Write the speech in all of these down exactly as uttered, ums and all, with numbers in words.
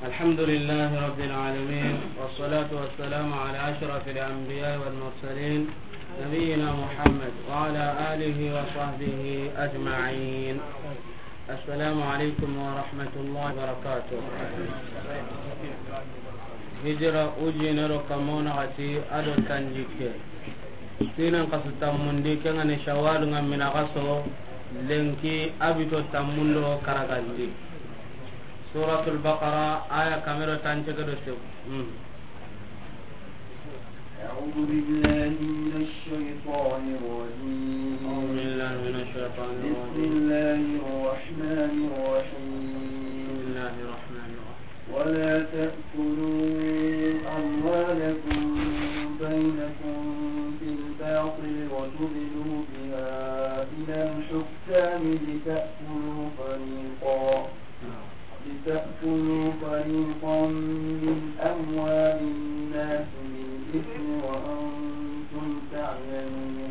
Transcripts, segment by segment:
الحمد لله رب العالمين، والصلاة والسلام على أشرف الأنبياء والمرسلين، نبينا محمد وعلى آله وصحبه أجمعين. السلام عليكم ورحمة الله وبركاته. Hijira ujine do kamona gati ado tanjikke. Sinen kasu tammundi, kengani Shawwal nga mina kaso, lenki abito tammundo karagandi. Suratul Baqara, aya kamero tancege do segu. Hmm. أعوذ بالله من الشيطان الرجيم. أعوذ بالله من الشيطان الرجيم. بسم الله الرحمن الرحيم. بسم الله الرحمن الرحيم. ولا تأكلوا أموالكم بينكم بالباطل وتدلوا بها إلى الحكام لتأكلوا فريقا، لتأكلوا فريقا من أموال الناس بالإثم وأنتم تعلمون.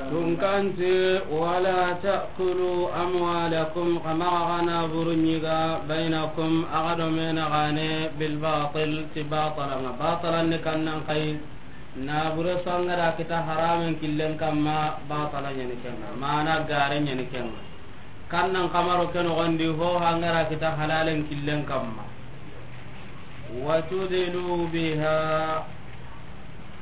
Tunkanti, ولا تأكلوا أموالكم, xa maxa xa naaburu ɲiga, بينكم, axa do me naxaane, بالباطل, ti batala ŋa. Batala ni kannan xayi, naabure su an ga da kita haramen killen kamma, batala ɲa ni ken ŋa, mana gare ɲa ni ken ŋa. Kannan xa maro ke noxondi, ho an ga da kita halalen killen kamma. وتدلوا بها.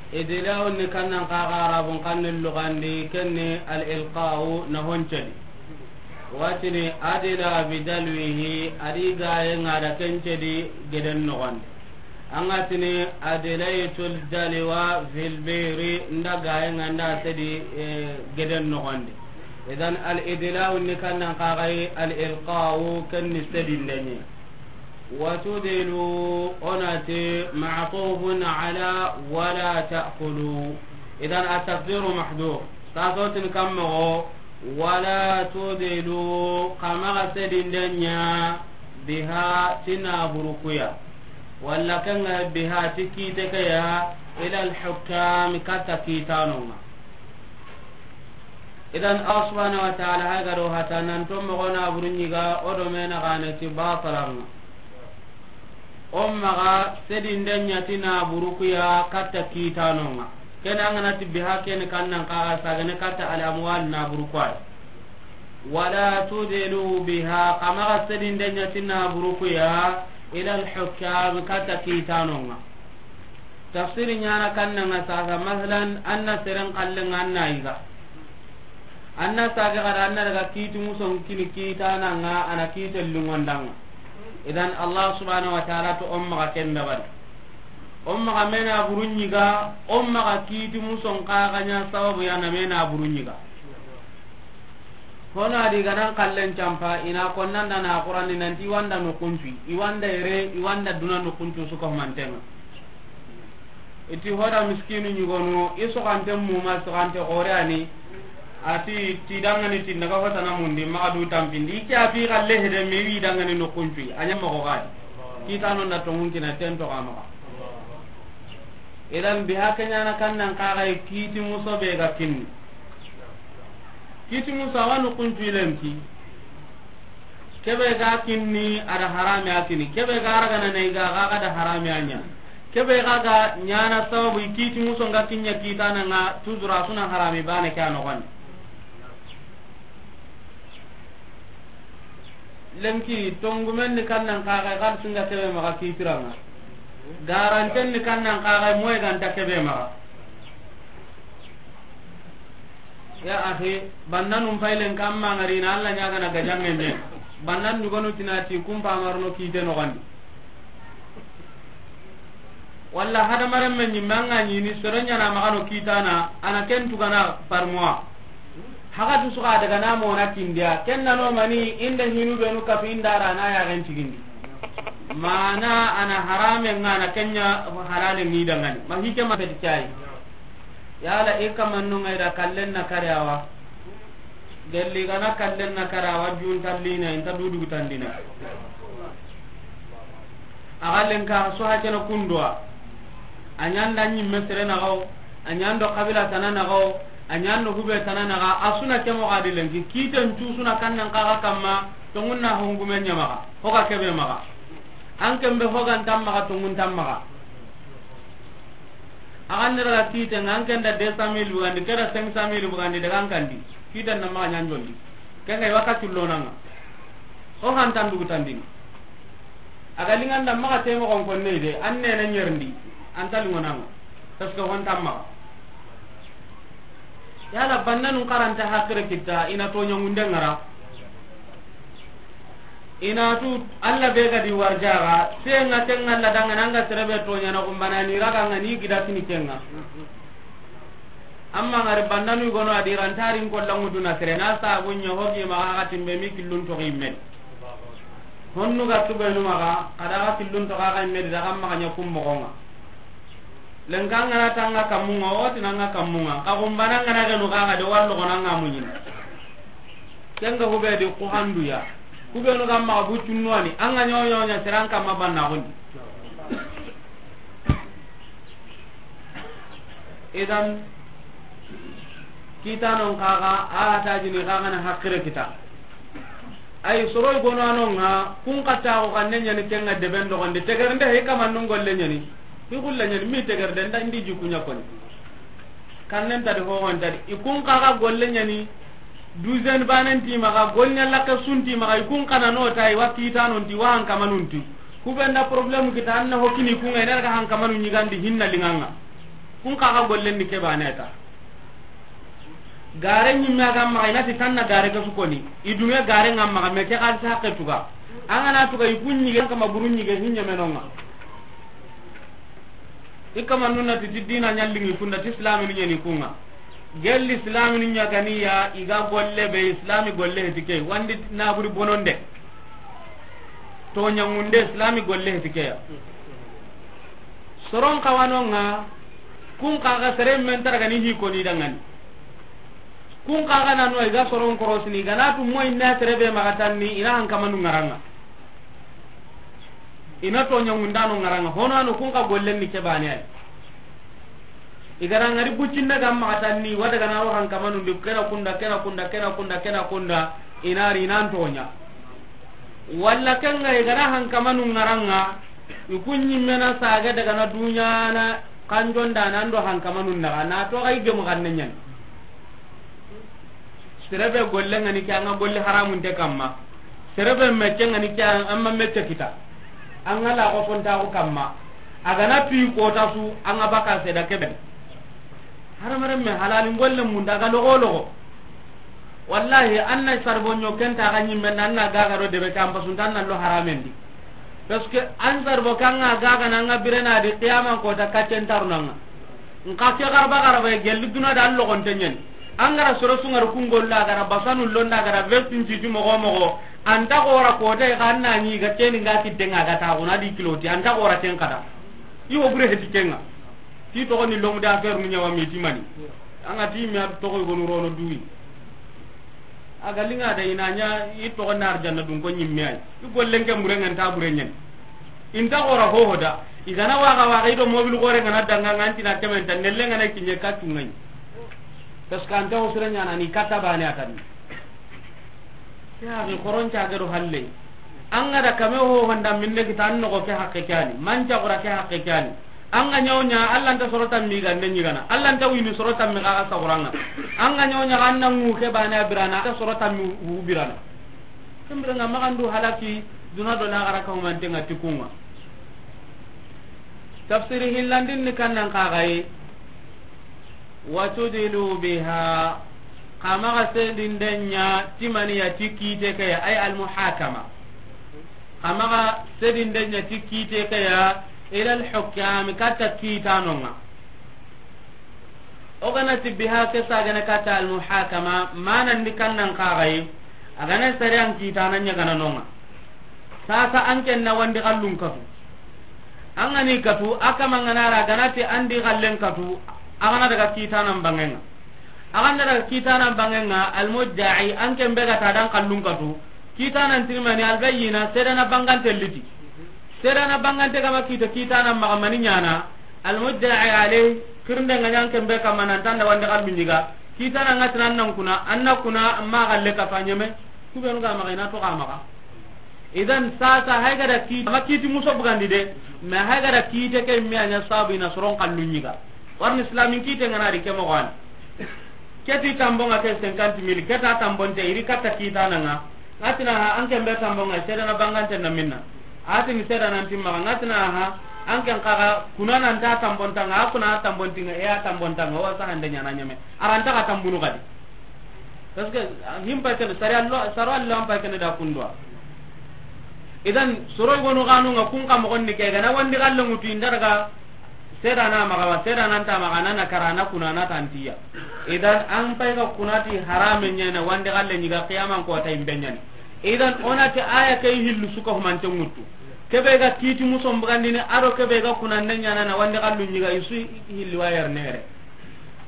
Idla'u ni kannan xa ga Arabun xannen luxandi, ken ni al-ilqa'u, na ho ncedi. Wa tini adla bidalwihi, a di gaye ŋa da ken cedi geden noxondi. An ga tini adlaytul dalwa fil bi'ri, n da gaye ŋa n da sedi, eh, geden noxondi. Idan al-idla'u ni kannan xa ga yi, al-ilqa'u ken ni sedinde ɲi. وتدلوا, o na ti معطوف على ولا تأكلوا. إذن التقدير محذوف. Sasotin kammoxo, ولا تدلوا, xa maxa sedinde ɲa, بها, ti naaburu ku ya. Walla ken ŋa بها, ti kiite ke ya, إلى الحكام, katta kiitanon ŋa. Idan, Allah subhanahu wa ta'ala hay ga do hata nan to moxo naaburu ɲiga, o do me naxaane ti batala ŋa. O maxa sedinde ɲa ti naaburu ku ya katta kiitanon ŋa. Ken an ga na ti بها ken kannan xa ga sagane katta al-amwal naaburu ku ya. ولا تدلوا بها, xa maxa sedinde ɲa ti naaburu ku ya, إلى الحكام, katta kiitanon ŋa. Tafsiri ɲaana kannan ŋa sasa, masalan, an na seren xallen ŋa an na yiga. An na sage xa da an na daga kiiti muson kini kiitanan ŋa, a na kiite lungondan ŋa. Idan Allah subhanahu wa ta'ala to o maxa ken dabari. O maxa me naaburu ɲiga, o maxa kiiti muson xa ga ɲa sababu ya na me naaburu ɲiga. Hono a di ga nan xallen campa, i na konnanda na Qur'ani nanti i wa n da noxun cu, i wa n da yere, i wa n da duna noxun cu su ko manten ŋa. I ti hoda miskinu ɲugonu, i soxante muma, soxante xore a ni, a ti ti dangani ti n daga hotana mundi, maxa du tampindi, i ke a fi xalle hede me wi dangani noxun cu, a ɲa moxo ga di. Kiitano n da tonŋun kina ten to xa maxa. Idan بها ke ɲaana kannan xa ga yi kiiti muso be ga kinni. Kiiti muso a wa noxun cu lenki. Kebe ga kinni a da harame a kini. Kebe ga ragana na yiga ga ga da harame a ɲa. Kebe ga ga ɲaana sababu i kiiti muso n ga kiɲa kiitanan ŋa, toujours a su na harame baane ke a noxon di. Lenki, tongumen ni kannan xa ga yi, xalisin ga kebe maxa kiitiran ŋa. Garanten ni kannan xa ga yi, moye ga nta kebe maxa. Ya axi, bandanun faylen kamma ŋari na Allah ɲagana gajanŋen ɲe. Bandan dugonu ti na ti kumpa marno kiite noxon di. Walla hadamarenme ɲimme an ga ɲini sere ɲaana maxa no kiitana, a na ken tugana par mois. Haxati su xa daga na mona kindiya, ken na no mani inda hinu benu kafi inda ra na yaxen cigindi. Mana a na harame ŋa na ken ɲa halale ŋi dangani. Ma hike ma feti cayi. Yala i kamannu ŋa i da kallen na kare a wa. Gelli ga na kallen na kare a wa, junta lina, inta dudugu tandina. A ga lenka so hakena kunduwa. A ɲa n da ɲimme sere naxa wo, a ɲa n do xabila tana naxa wo, a ɲa n do hube tana naxa, a su na ke moxo a di lenki. Kiiten cu su na kannan xa ga kamma, Tonŋun na hongume ɲa maxa, hoga kebe maxa. An ken be hogan tan maxa, tonŋun tan maxa. A ga nda daga kiiten ŋa, an ken da deux cent mille bugandi, ke da cinq cent mille bugandi, daga an kandi. Kiiten na maxa ɲanjondi. Ken ga i wa ka cullonan ŋa. O han tan dugu tandini. A ga liŋan da maxa temoxon konne de, an nene ɲerindi, an ta liŋonan ŋa. Parce que hon tan maxa. Yala bannanun karanta hakkire kita, i na toɲangunde ŋara. I na tu Alla be ga di warjaga, senga kenga Alla dangana, anga sere be toɲana, kumbana ni raga nga ni gida sini kenga. Amma ngari bannanu gono a di rantarin kollangu duna sere na sabu ɲa hogi maxa, xa timbe mi killun toxi yimme. Honnu ga tubenu maxa, xa da xa killun toxo xa yimme di, daga maxa ɲa kum moxonga. Lenka ngana tanga kamunga, o tinanga kamunga. Ka kumbana ngana genu kaga de wallo gona nga munyini. Kenga hube di ku handuya. Hube no gamma bu tunwani, anga nyo nyo nya seran kama banna hon. Idan kita non kaga, a ta jini kaga na hakkire kita. Ay soro gono anonga, kun kata ko kanne nyani kenga deben do gonde. Tegernde he kama nun golle nyani. Hi gulle nyani mi tegernde nda ndi ji kunya koni. Kannen tadi ho hon tadi. I kun kaga golle nyani. Duzen banen ti maga, golnya laka sunti maga, i kun kana no tai wa kita non ti wa han kama nun ti. Kubenda problème kita anna hokini kun ga ina ga han kama nun nyigandi hinna linganga. Kun kaga golle ni ke baneta. Gare ɲimme a ga maxa, i na ti tanna gare ke su koni. I dunge gare nga maxa, me ke xalisa haqe tuga. An ga na tuga i kun ɲige kama buru ɲige hinɲe menonga. I kama nunna ti, ti dina ɲallingi kunda, ti islaminu ɲeni kunga. Gelli islaminu ɲaganiya, i ga golle be islami golle heti ke. Wandi naburi bononde. Toɲangunde islami golle heti ke ya. Soron kawanonga, kun kaga sere men taragani hi koni dangani. Kun kaga nanu ay ga soron korosini, gana tu moy na sere be maxa tanni, ina han kamanu ngaranga. Ina toɲangundano ngaranga, hono anu kun ka gollen ni ke bane ay. I gara ngari bucinda ga maxa tanni, wada gana ro han kamanu ndi, kena kunda, kena kunda, kena kunda, kena kunda, ina ri nan toɲa. Walla kenga i gana han kamanu ngaranga, i kun ɲimmena saga daga na duɲana kanjonda nan do han kamanu naga, na to ga i gemu ganne ɲan. Sere be golle ngani ke anga golle haramun te kamma. Sere be mecce ngani ke anga mecce kita. Anga la ko fonta ko kamma. Agana pi ko ta su anga baka se da kebe. Haramare me halalin golle mun daga logo logo. Wallahi, anna sarbo ɲo kenta ga ɲimme, anna gaga do debe kan pasunta anna lo haramendi. Parce que an sarbo kanga gaga nanga birena di qiyama ko ta kacen tarunanga. Nka ke garba garba e gelli duna da logon tenyen. Angara soro sungar kungol la gara basanu londa gara vestin ci jumo go mogo. Anta gora ko te ga anna ni ga teni ga kidde nga ga ta gona di kiloti. Anta gora ten kada. I wo bure heti kenga. Ti toxo ni l'homme d'affaires nu ɲawa mi ti mani. Anga ti mi a toxo gonu rono duwi. A ga linga da ina ɲa i toxo na arjanna dun ko ɲimme ay. I gollen ke mure ngan ta bure ɲen. Inta gora ho ho da. I gana waga waga i do mobil gore ngana danga nganti na kemen ta nelle ngana kinye ka tungai. Parce que anta ho sura ɲana ni kata bane atani. Ya ni koron ca gado halle. Anga da kame ho honda minne kita an nogo ke hakke kani. Manca gora ke hakke kani. Anga ɲawɲa, Alla nta soro tammi gande ɲigana. Alla nta wini soro tammi kaga saguranga. Anga ɲawɲa, anna ngu ke bane a birana, anta soro tammi wu birana. Kembiranga magandu halaki, duna do lagara ka humantenga tikunga. Tafsiri hillandin ni kannan kagaye. وتدلوا بها, xa maxa sedinde ɲa ti maniya ti kiite ke ya, ay almuhakama. Xa maxa sedinde ɲa ti kiite ke ya, إلى الحكام, katta kiitanonga. O gana ti biha ke sagene katta almuhakama, manandi kannan kagaye, a gana sariyan kiitana ɲagananonga. Sasa an ken na wandi xallun katu. An gani katu, a kama ngana ra gana ti andi xallen katu, a gana daga kiitanan bangenga. A gana daga kiitanan bangenga, almudda'i, an ken be ga ta dan xallun katu. Kiitanan tirmani albayyina, sedana bangante liti. Sedana bangante gama kiita, kiitanan maxa mani ɲana. Almudda'i alayh, kirnde nga ɲan ken be kama nan tanda wandi xallun ɲiga. Kiitanan nga tinan nan kuna, an na kuna, amma xalle kafa ɲeme. Kubenu ga maxa, ina to ga maxa. Idan sasa hay ga da kiiti, ma kiiti muso bugandi de, mais hay ga da kiite ke me a ɲa sabu i na soron kallu ɲiga. Warni islamin kiite ŋa na ri ke moxo wa ni. Ke ti tambon ŋa ke cinquante mille, ke ta tambonte, i ri katta kiitana ŋa. Ŋa ti na ha, an ken be tambon ŋa, seedana bangante na minna. A ti ni seedana nti maxa, ŋa ti na ha, an ken kaga, kuna nan ta tambonta ŋa, a kuna tambonti ŋa, e a tambonta ŋa, wa sa hande ɲana ɲame. A ra nta xa tambunu kadi. Parce que, ah, himpa ken, sari allo, saro allo an pa ken da kundwa. Idan, soro gonu ganu ŋa kun ka moxon ni ke, ga na wandi galle ŋutu inda daga, seedana maxa wa, seedana nta maxa, na na kara na kuna na tantiya. Idan, an pay ga kunati harame ɲana, wandi galle ɲiga qiyaman ko ta imbe ɲani. Idan, o na ti aya ke hillu su ka humante ŋutu. Ke be ga kiiti muso bugandini, a do ke be ga kuna ne ɲana na wandi gallu ɲiga, i su hilli wa yar nere.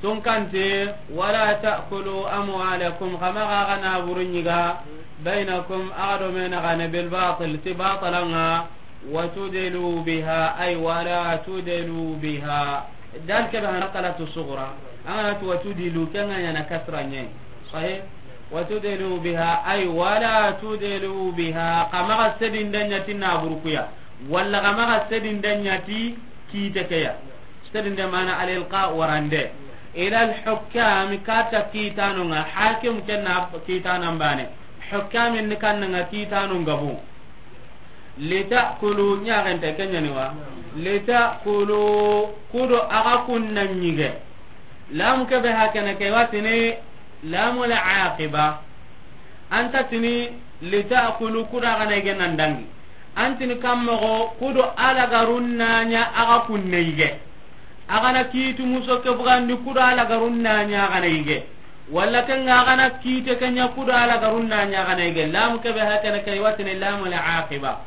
Tunkante, wala ta'kulu amwalakum, xa maxa xa naaburu ɲiga, bainakum, axa do me naxane, bil batil, ti batala ŋa, wa tudlu biha, ay wala tudlu biha. Dal ke be hana kalatu sugra, an ga na ti wa tudlu, ke ŋa ɲana kasra ɲa. Sahih? Wa tudlu biha, ay wala tudlu biha, xa maxa sedinde ɲa ti naaburu ku ya, walla xa maxa sedinde ɲa ti kiite ke ya. Sedinde mana al-ilqa, warande. Ila al-hukkam, katta kiitanu ŋa, hakim ken na kiitana mbane. Hukkamin ni kanna ŋa kiitanu ŋa bu. Litakulu, ɲaxente ke ɲani wa. Litakulu, ku do axa kun na ɲige. Lam ke be hakene ke watini lamul aqiba. Anta tini litakulu, ku do axa na ige nan dangi. Antini kammoxo, ku do alagarun na ɲa axa kun na ige. Axa na kiiti muso ke bugandi, ku do alagarun na ɲa axa na ige. Walla ke ŋa axa na kiite ke ɲa, ku do alagarun na ɲa axa na ige. Lamu ke be hakene ke watini lamul aqiba.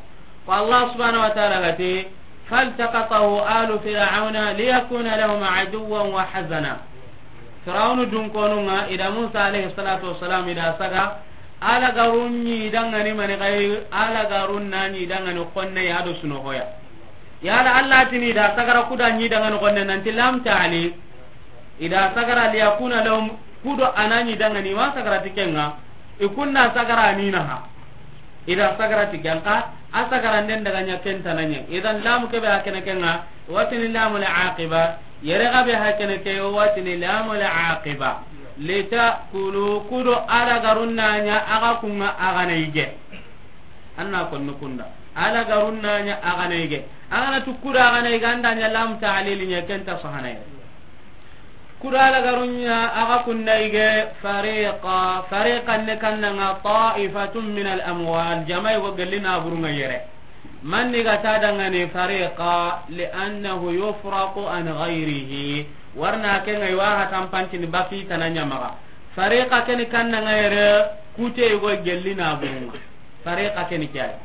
Ko Allah subhanahu wa ta'ala ga ti, فالتقطه آل فرعون ليكون لهم عدوا وحزنا. Firawunu dunkonu ŋa, i da Musa alayhi salatu wassalam, i da saga, alagarun ɲi dangani mani xay, alagarun na ɲi dangani xonne ya do sunoxoya. Yala Allah tini i da sagara ku da ɲi dangani xonne nanti lam ta'lil. I da sagara liyakuna lahum, ku do a na ɲi dangani, ma sagara ti ke ŋa, i kun na sagara ni na ha. I da sagara ti ke ŋa, a sagaranden daga ɲa ken tana ɲa. Idan lamu ke be hakene ke ŋa, watini lamul aqiba, yere ga be hakene ke, watini lamul aqiba. Litakulu, ku do alagarun na ɲa axa kun ŋa axa na ige. Anna konno kunda. Alagarun na ɲa axa na ige. Axa na tu ku do axa na ige, an da ɲa lam ta'lil ɲa, ken ta sahana ya. Ku do alagarun ɲa axa kun na ige, fariqa, fariqan ne kanna ŋa ta'ifatun min al-amwal, jama yogo gelli naburun ŋa yere. Manni ga ta dangani fariqa, li'annahu yufraqu an ghayrihi. Warna ke ŋa i wa ha tampantini baki tana ɲa maxa. Fariqa ke ni kanna ŋa yere, kute yogo gelli naburun ŋa. Fariqa ke ni ke ya.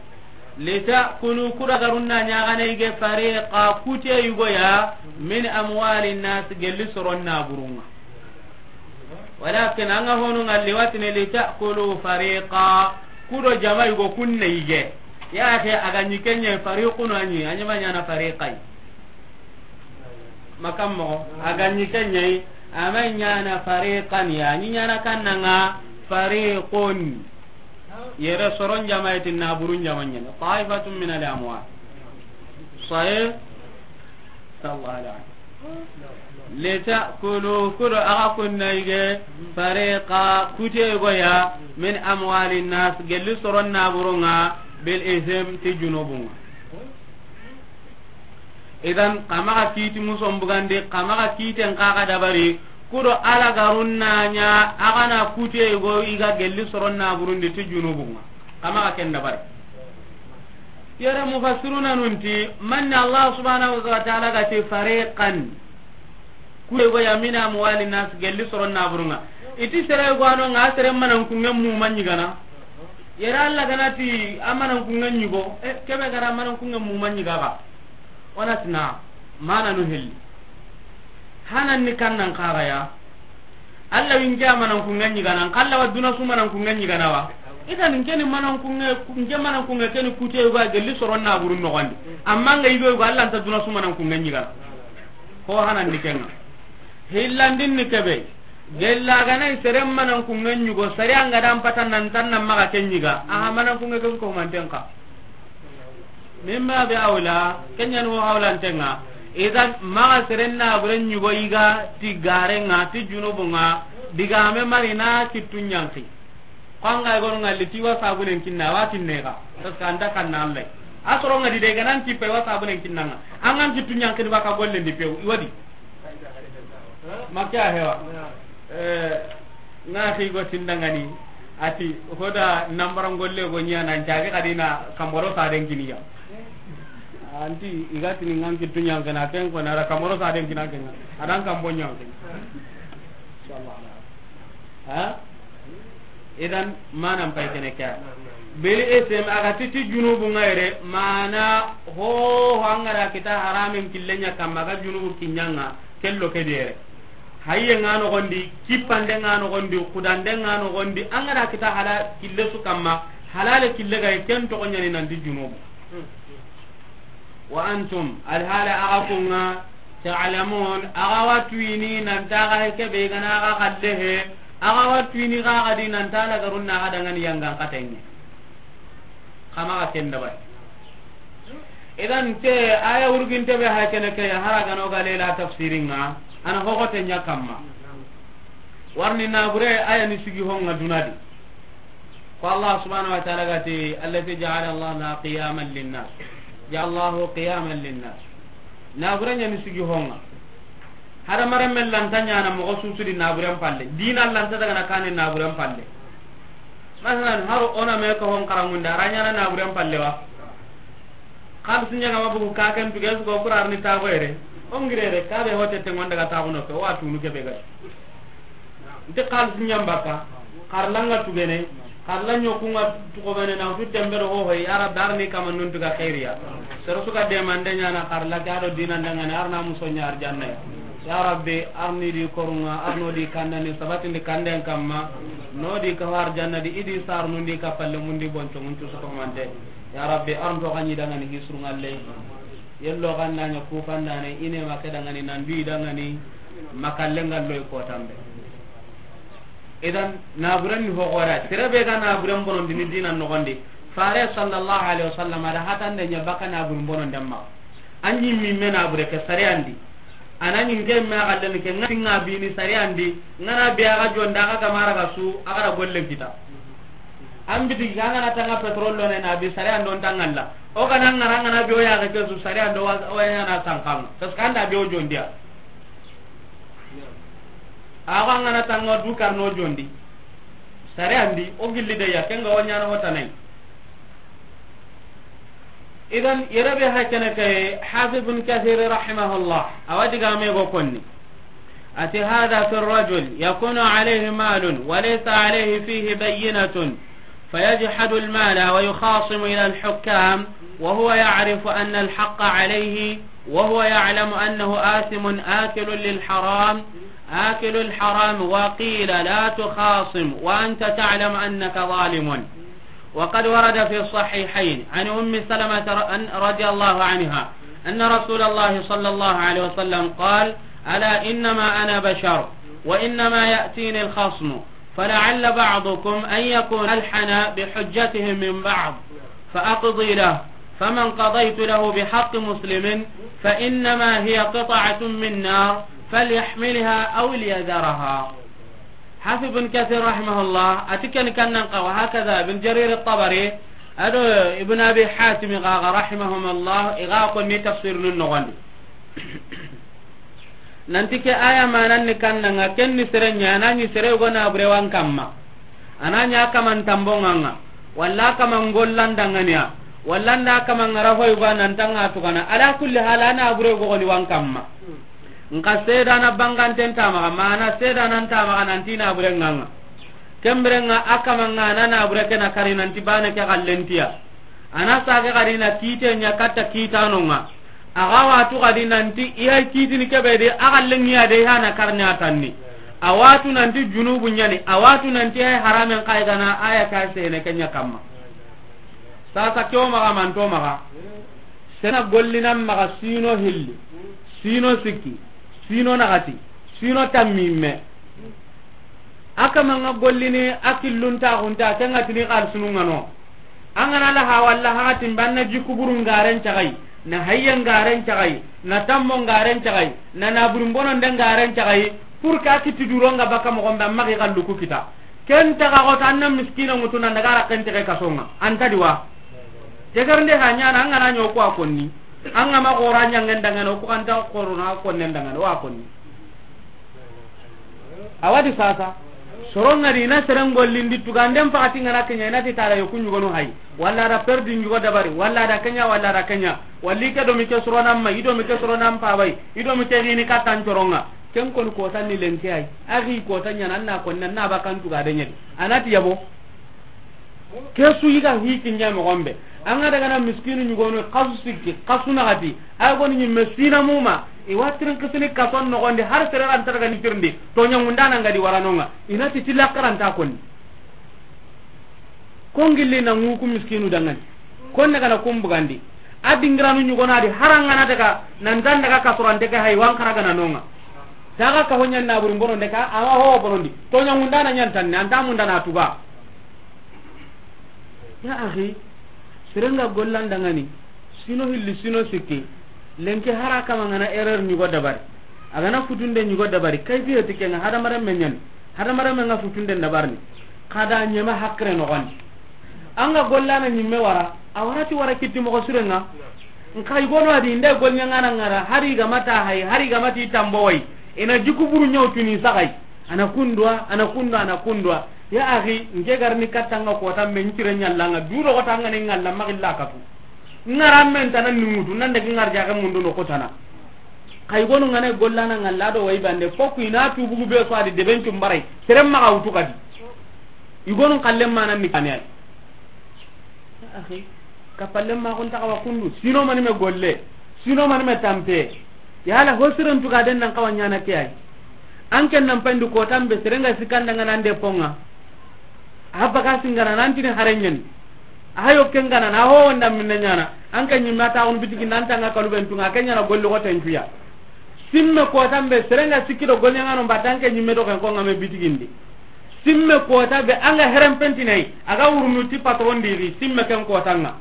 Litakulu, ku do alagarun na ɲa axa na ige, fariqa, kute yogo ya, min amwalin nas, gelli soron naburun ŋa. Walakin an ga honu ŋa li watini litakulu fariqa, ku do jama yogo kun na ige. Ya ke a ga ɲi ke ɲa fariqun, a ɲi, a ɲi ma ɲana fariqai. Makan moxo, a ga ɲi ke ɲa, a ma ɲana fariqan ya, a ɲi ɲana kanna ŋa fariqun. Yere soron jama iti naburun jama ɲa ni. Ta'ifatun min al-amwal. Sahih? Sallallahu alaihi. Litakulu, ku do axa kun na ige, fariqa, kute yogo ya, min amwalin nas, gelli soron naburun ŋa, bil ism, ti junubun ŋa. Idan, xa maxa kiiti muson bugandi, xa maxa kiiten xa ga dabari, ku do alagarun na ɲa axa na kute yogo i ga gelli soron naburun di ti junubun ŋa. Xa maxa ken dabari. Yere mufassiruna nun ti, manni Allah subhanahu wa ta'ala ga ti fariqan. Kute yogo ya min amwalin nas, gelli soron naburun ŋa. I ti sere yogo a no ŋa, sere manankunŋe mu ma ɲigana. Yere Allah ga na ti a manankunŋe ɲigo, e, ke be ga ra manankunŋe mu ma ɲiga ga. O na ti na, mananu hilli. Hanan ni kannan xa ga ya. Allah wi n ke a manankunŋe ɲigana, n xa Allah wa duna su manankunŋe ɲigana wa. Idan n ke ni manankunŋe, n ke manankunŋe ke ni kute yogo a gelli soron naburun noxon di. Amma n ga yigo yogo Allah nta duna su manankunŋe ɲigana. Ho hanan ni ke ŋa. Hillandin ni ke be. Gella ga na i sere manankunŋe ɲigo, sere an ga da n pata nan tan na maxa ke ɲiga. Aha, manankunŋe ke ko manten xa. Min babi awla, ken ɲa ni ho hawlanten ŋa. Idan, maxa seren naburen ɲugo yiga ti garen ŋa, ti junubun ŋa, digame mari na kittu ɲanki. Ko an ga gonu ŋalli ti wa sabunen kinna, wa kinne ga. Parce que an da kanna Allah. A soro ŋa di de ga nan kippe wa sabunen kinna ŋa. An ga kittu ɲanki di baka gollen di pew, i wa di. Makka hewa. Eh, na xi go tindangani. Ati, hoda nambara golle go ɲa nan cage kadi na kamboro saden kiniya. Anti, i ga tini ŋa kittu ɲanki na ken ko na ra kamboro saden kina ken. A dan kambo ɲanki. Inshallah. Ha? Idan, manan pay kene ke. Beli esem a ga ti ti junubun ŋa yere, mana ho, ho an ga da kita haramen killen ɲa kamma ga junubu kinɲan ŋa, kello ke di yere. Hayye ŋa noxon di, kippande ŋa noxon di, xudande ŋa noxon di, an ga da kita hala kille su kamma, halale kille ga ken toxo ɲa ni nan ti junubu. Wa antum, alhala axa kun ŋa, ta'lamun, axa wa tuyini nan ti axa he kebe ga na axa xalle he, axa wa tuyini xa ga di nan ti a la garun na axa dangani yangan xatenŋe. Xa maxa ken dabari. Idan te aya wurginte be ha kene ke ya hara ga no ga lela tafsirin ŋa, ana hoxote ɲa kamma. Warni nabure aya ni sigi ho ŋa duna di. Ko Allah subhanahu wa ta'ala ga ti, "Allati ja'ala Allah laha qiyaman linnas." Ja'ala Allahu qiyaman linnas. Naburen ɲa ni sigi ho ŋa. Hada mare men lanta ɲa na moxo susu di naburen palle. Dina lanta daga na kane naburen palle. Masalan, haro ona me ko hon karangunde, a ra ɲa na naburen palle wa. Xalisi ɲa ga ma bugu ka ken tuge su ko kurar ni tago yere. O ngirere ka be hote te ŋonda ga taxuno ke, wa tunu ke be ga. Nte xalisi ɲa n baka, xarla ŋa tugene, xarla ɲoku ŋa tugobene na wutu tembe do hohoy, ya Rabbi, arni kama nun tuga xeeriya. Sero suka demande ɲa na xarla ke a do dina ndangani, arna muso ɲa arjanna ya. Ya Rabbi, arni di korunga, arno di kandani, sabatindi kanden kamma, no di kawa arjanna di, idi sarnundi kapalle mundi bonco muntu soto mante. Ya Rabbi, arnto xaɲi dangani hisru ngalle. Yello xanna ɲa kufandane, ine ma ke dangani, nandu i dangani, makalle ngallo i kotambe. Idan, naburen ni hoxora, sere be ga naburen bonondini dina noxondi. Fare sallallahu alaihi wasallam, a da hatande ɲa baka naburen bononden ma. An ɲi mi me nabure ke sariyandi. Ana ɲi nke me a xallen ke ŋa tinga bini sariyandi. Ŋa na be a ga jonda, a ga gamara ga su, a ga da gollen kita. An biti ga ŋa na tanga petrol lo ne na bi sariyando ntangalla. O ga na ŋa na ŋa na be o ya ga ke su sariyando wa, o ya na sankam. Parce que an da be o jondiya. Awa ŋa na tanga du karno jondi. Sare andi, o gilli de ya, ken ga wa ɲaana wota nay. Idan, yere be ha kene ke, Hafiz bin Kathir rahimahullah, a wa digame go konni. Ati, "Hadha fi rajul yakunu alayhi malun wa laysa alayhi fihi bayyinatun." فيجحد المال ويخاصم إلى الحكام وهو يعرف أن الحق عليه وهو يعلم أنه آثم آكل للحرام، آكل الحرام، وقيل: "لا تخاصم وأنت تعلم أنك ظالم." وقد ورد في الصحيحين عن أم سلمة ر-، أن، رضي الله عنها أن رسول الله صلى الله عليه وسلم قال: "ألا إنما أنا بشر وإنما يأتيني الخصم." فلعل بعضكم أن يكون ألحن بحجته من بعض، فأقضي له، فمن قضيت له بحق مسلم فإنما هي قطعة من نار فليحملها أو ليذرها. Hafiz bin Kathir rahimahullah, a ti ken kannan xa, wa hakaza Ibn Jarir at-Tabari, a do Ibn Abi Hatim xa ga rahimahumullah, i ga konni tafsir nun noxondi. Nanti ke aya manan ni kannanga, ken ni sere ɲa, a na ɲi sere yogo na bure wan kamma. A na ɲa kaman tambonganga, walla kaman gollandanganiya, walla nda kaman ŋara hoy ba nan tanga tugana. Ala kulli hal, a na bure yogo ni wan kamma. Nka sedana banganten tamaxa, mana sedana ntamaxa nanti na bure nganga. Kemberenga a kamanga na na bure kena kari nanti bane ke gallentiya. A na sage gari na kite ɲa katta kitanonga. A ga watu gadi nanti i hay kitini kebe de, a ga lengiya de, i hana karni a tanni. A watu nanti junubu ɲani, a watu nanti hay haramen kay gana, aya ka sene kenya kamma. Sasa kewo maxa manto maxa. Sena gollinan maxa sino hilli, sino sikki, sino naxati, sino tammimme. A kamanga gollini a killuntaxunta, kenga tini xalisunungano. An ga na la ha walla ha ga timbe, an na jikku buru ngaren caxayi, na hayye ngaren caxayi, na tammo ngaren caxayi, na naburi mbononden ngaren caxayi, pour que a kitti duronga baka moxon be, a maxa i xallu ku kita. Ken taxa xo ta, an na miskina ŋutu nan daga raxen texe kasonga. An ta di wa. Tegarnde ha ɲaana, an ga na ɲo ko a konni. An ga ma xora ɲangen dangana, o ku an ta xorona konnen dangana, wa konni. Awa di sasa. Soronga di na seren gollindi tuganden pakati ngana kenya, ina ti tara yo kunyugonu hay. Walla da perdi nyugo dabari, walla da kenya, walla da kenya. Walli ke do mi ke soronan ma, i do mi ke soronan pa bay, i do mi ke gini katan coronga. Ken kon ko tan ni lenke ay. Agi ko tan ɲana, na kon na ba kan tuga de nyadi. Anati yabo. Ke su yiga hi kinya moxon be. An ga daga na miskinu ɲugonu, xasu sikki, xasu naxati. Ay goni ɲimme sina muma. I wa tirin kisini kason noxondi, har sere ran targa ni tirindi. To ɲangundana ngadi waranonga. Ina ti tila karanta konni. Kon gilli na ŋuku miskinu dangani. Kon daga na kumbugandi. A dingiranu ɲugona di harangana daga, nan tan daga kasurante ke hay wan karaga na nonga. Taga ka honyan na buri mbono ndeka, ama ho bonondi. To ɲangundana ɲantanni, anta mundana tuba. Ya akhi, serenga gollan dangani, sino hilli, sino sikki, lenke hara kama ngana erreur ɲugo dabari, a gana futunde ɲugo dabari, kayfiye ti kenga hadamaren me ɲani, hadamaren me nga futunde dabarni, kada ɲema hakre noxondi. Anga gollana ɲimme wara, a warati wara kitti moxo surenga. Nka igono adi, nde golɲangana ngara, hari gamata hay, hari gamati tambo way, ina jiku buru ɲaw tuni saxay. Ana kundwa, ana kundwa, ana kundwa. Ya akhi, nke garni kattanga kota men cire ɲallanga, du do kota ngani ngalla magilla katu. Ngara men tana ningutu, nan daga ngar jaga mundu no kotana. Kay gonu ngane gollana ngalla do way bande, foku ina tubugu be so adi deben cumbaray. Serem maga wutu kadi. Igonu kallem manan ni kaniyay. Akhi, kapallem ma kun taxawa kundu. Sino mani me golle. Sino mani me tampe. Yala ho siren tuga den nan kawa ɲana ke ay. An ken nan pandu ko tambe serenga sikanda ngana nde ponga. Abba ka singana nan tini harenyen. Ayo kengana na ho wanda minna ɲana. An kan ɲimma ta on bitigi nan tanga kaluben tunga, kenya na golli ko tentuya. Simme kota be serenga sikki do golli ngano mbatanke ɲimme do ken ko ngame bitigindi. Simme kota be anga herem pentinai, aga wurnu ti patron diri, simme ken kotanga.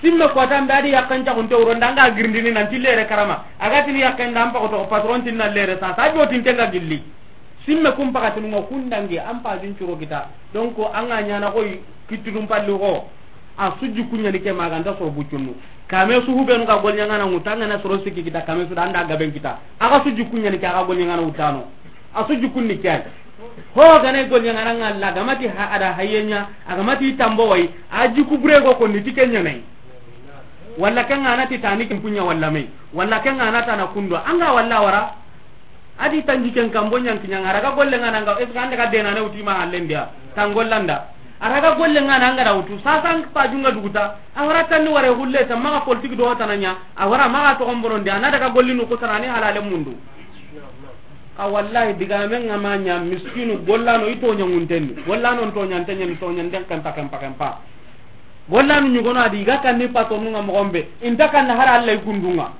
Simme kota be adi yakkan cagunte wuronda anga girindini nanti lere karama. Aga tini yakkan da ampa ko to patron tinna lere sa, sa jo tintenga gilli. Simme kum pakatinunga kundangi ampa jin curo kita. Donc anga ɲana koy kittudum palli ho. A sujju kuɲani ke maganta soro buccunnu. Kame su hubenu ga golɲangana ŋutu, angana soro sikki kita, kame su da anda gaben kita. Aga sujju kuɲani ke, aga golɲangana wutano. A sujju kunni ke ay. Ho gane golɲangana ngalla, gamati ha, ada hayenya, agamati tambo way, a jiku bure go konni ti kenya nay. Walla kenga na ti tani kin kunya walla me. Walla kenga na tana kundo. Anga walla wara. Adi tanji ken kambo ɲanki ɲanga, araga golle ngana nga, est-ce que ande ga dena ne uti ma hallendia? Tangollanda. Araga golle ngana anga da utu, sasa an pa junga duguta, awara tanni ware hulle ta maga politique do tananya, awara maga to gombono ndia, na daga gollinu ko tanani halale mundu. Ka wallahi diga men ngama nya miskinu gollano ito ɲanguntenni, gollano to ɲantenni to ɲanden kan pakan pakan pa. Gollanu ɲugono adi ga kanni patronunga moxon be, inta kanna hari Alla i kundunga.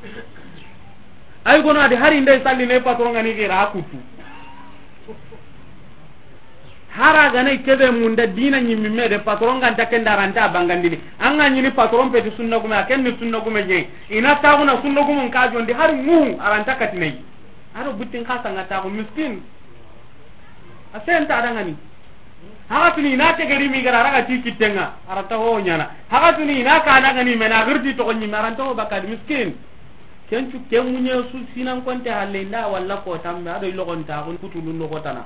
Ay gono adi hari nde salli ne patron ngani gira kutu. Hara gana kebe munda dina ɲimmi me de patron ganta kenda ranta bangandini. Anga ɲini patron peti sunna gume, aken ni sunna gume je. Ina taguna sunna gumun ka jondi hari mu aranta katinai. Aro buttin kasa nga tagu miskin. A senta adangani. Haga tuni ina tegeri mi gara raga ti kitenga, aranta ho ɲana. Haga tuni ina kana gani mena girdi to ɲi maranta ho bakad miskin. Kencu kemunye su sinan konte halle nda walla ko tambe ado ilogon ta kun kutulun do kotana.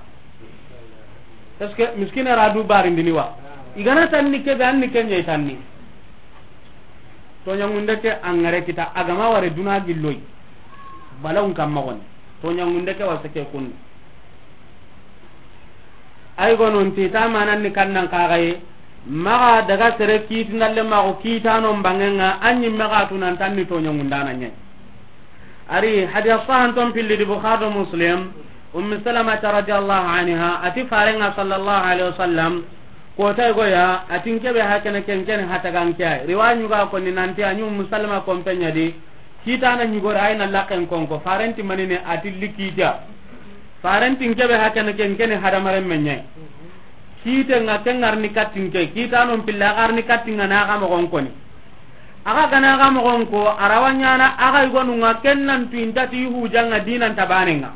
Parce que miskin ara du barindini wa. Igana tanni kebe anni kenye tanni. To ɲangunde ke angare kita agama ware duna gilloy. Balawun kamma goni. To ɲangunde ke wasa ke kun. Ay gonon ti ta manan ni kannan kagaye. Maga daga sere kiti nalle mago kitano mbangenga anyi maga tunan tanni to ɲangundana nyai. Ari hadiya sahan ton pilli di Bukhari do Muslim. Ummi Salamata radiyallahu anha ati farenga sallallahu alaihi wasallam. Kota goya atin kebe hakene kenkene hatagan kiyai. Riwaya nyuga konni nanti anyi Ummi Salama kompenya di. Kitana ɲugore ay na laken konko. Farenti manine ati likita. Farenti nkebe hakene kenkene hadamaren menye. Kiite ŋa ke ŋa ri ni katin ke, kiitanon pilla a ga ri ni katin ŋa na a ga moxon koni. A ga gana a ga moxon ko, a ra wa ɲaana a ga yigonu ŋa ken nan tu i nta ti hujanga dinan ta baane ŋa.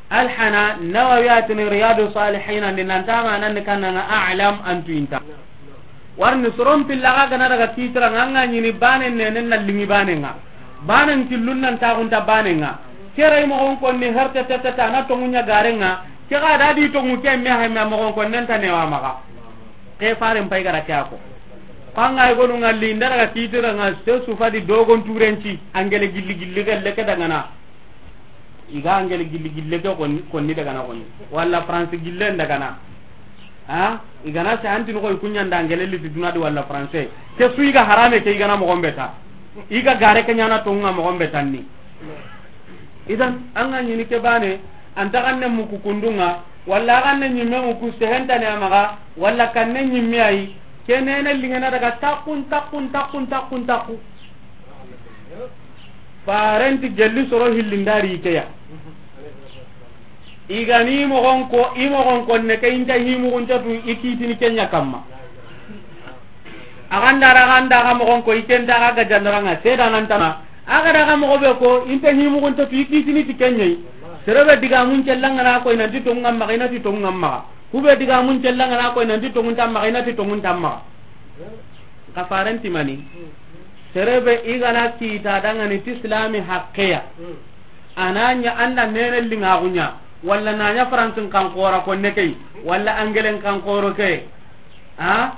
Alhana Nawawi a ti ni Riyadu Salihin an di nan ta ma nan ni kanna ŋa a'lam an tu i nta. Warni soron pilla a ga gana daga kiitira ŋa, a ŋa ɲi ni baane ne, ne na liŋi baane ŋa. Baanen killun nan taaxunta baane ŋa. Kere i moxon konni herte teteta na tonŋu ɲa gare ŋa. Ke ga da di tonŋu ke me hay me moxon konnen ta ne wa maxa. Ke faren pay gara ke a ko. Ko a ŋa yigonu ŋa li nda daga kiitira ŋa se su fa di dogon turenci angele gilli gilli gelle ke daga na. I ga angele gilli gille ke konni, konni daga na konni. Walla France gille daga na. Ha? I ga na se anti no koy kunya nda angele liti duna di walla France. Ke su i ga harame ke i ga na moxon be ta. I ga gare ke ɲaana tonŋa moxon be tanni. Idan, a ŋa ɲi ni ke baane, an ta ganne muku kundun ŋa, walla a ganne ɲimme muku sehentane a maxa, walla kanne ɲimme ayi, ke nene liŋena daga takkun, takkun, takkun, takkun, takku. Farenti gelli soro hillindari ikeya. I ga ni moxon ko, i moxon konne ke i nta himuxunta tu i kiitini ke ɲa kamma. A ganda ra ganda ga moxon ko i ke nta ga gajandara ŋa sedanantana. A ga da ga moxo be ko i nta himuxunta tu i kiitini ti ke ɲa yi. Sere be digamun cella ŋa na ko i nanti tonŋa maxa, i nati tonŋa maxa. Ku be digamun cella ŋa na ko i nanti tonŋun ta maxa, i nati tonŋun ta maxa. Ka farenti mani. Sere be i ga na kiita dangani ti silami haqqeya. A na ɲa an da nene liŋaxu ɲa, walla na ɲa Faransin kan xoro konne ke yi, walla Angelen kan xoro ke. Ha?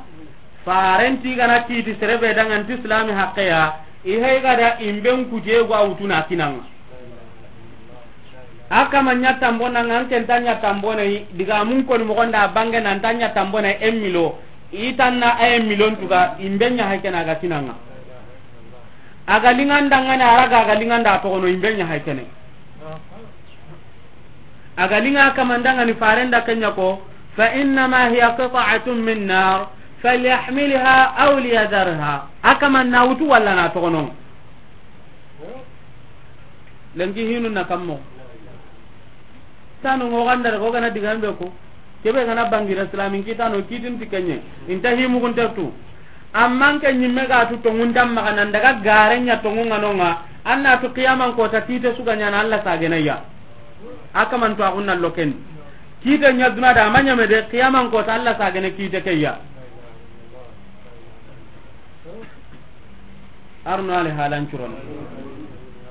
Farenti i ga na kiiti sere be dangani ti silami haqqeya, i hay ga da i mben kuteye go a wutu na kinaŋa. A kama ɲa tambo na ŋa, an ke nta ɲa tambo na yi, digamun koni moxon da bange na nta ɲa tambo na yi, en milo, i tanna a en milon tuga, i mben ɲa hay ke na ga kinaŋa. A ga liŋanda ŋa na a ra ga, a ga liŋanda toxono, i mben ɲa hay ke ne. A ga liŋa kamandangani farenda ke ɲa ko, فإنما هي قطعة من نار فليحملها أو ليذرها. A kaman na wutu walla na toxono. Lenki hinu na kammo. Tanu ŋo ganda ko gana digambe ko. Kebe gana bangira islamin kiitano kiitin ti ke ɲa yi. I nta himuxunta tu. Amma an ke ɲimme ga tu tonŋun ta maxa nan daga gare ɲa tonŋun ŋa no ŋa. An na tu qiyaman kota kiite su ga ɲaana Alla sagene ya. A kaman to a xunna loken. Kiite ɲa duna da a ma ɲame de, qiyaman kota Alla sagene kiite ke ya. Arno ale halan curon.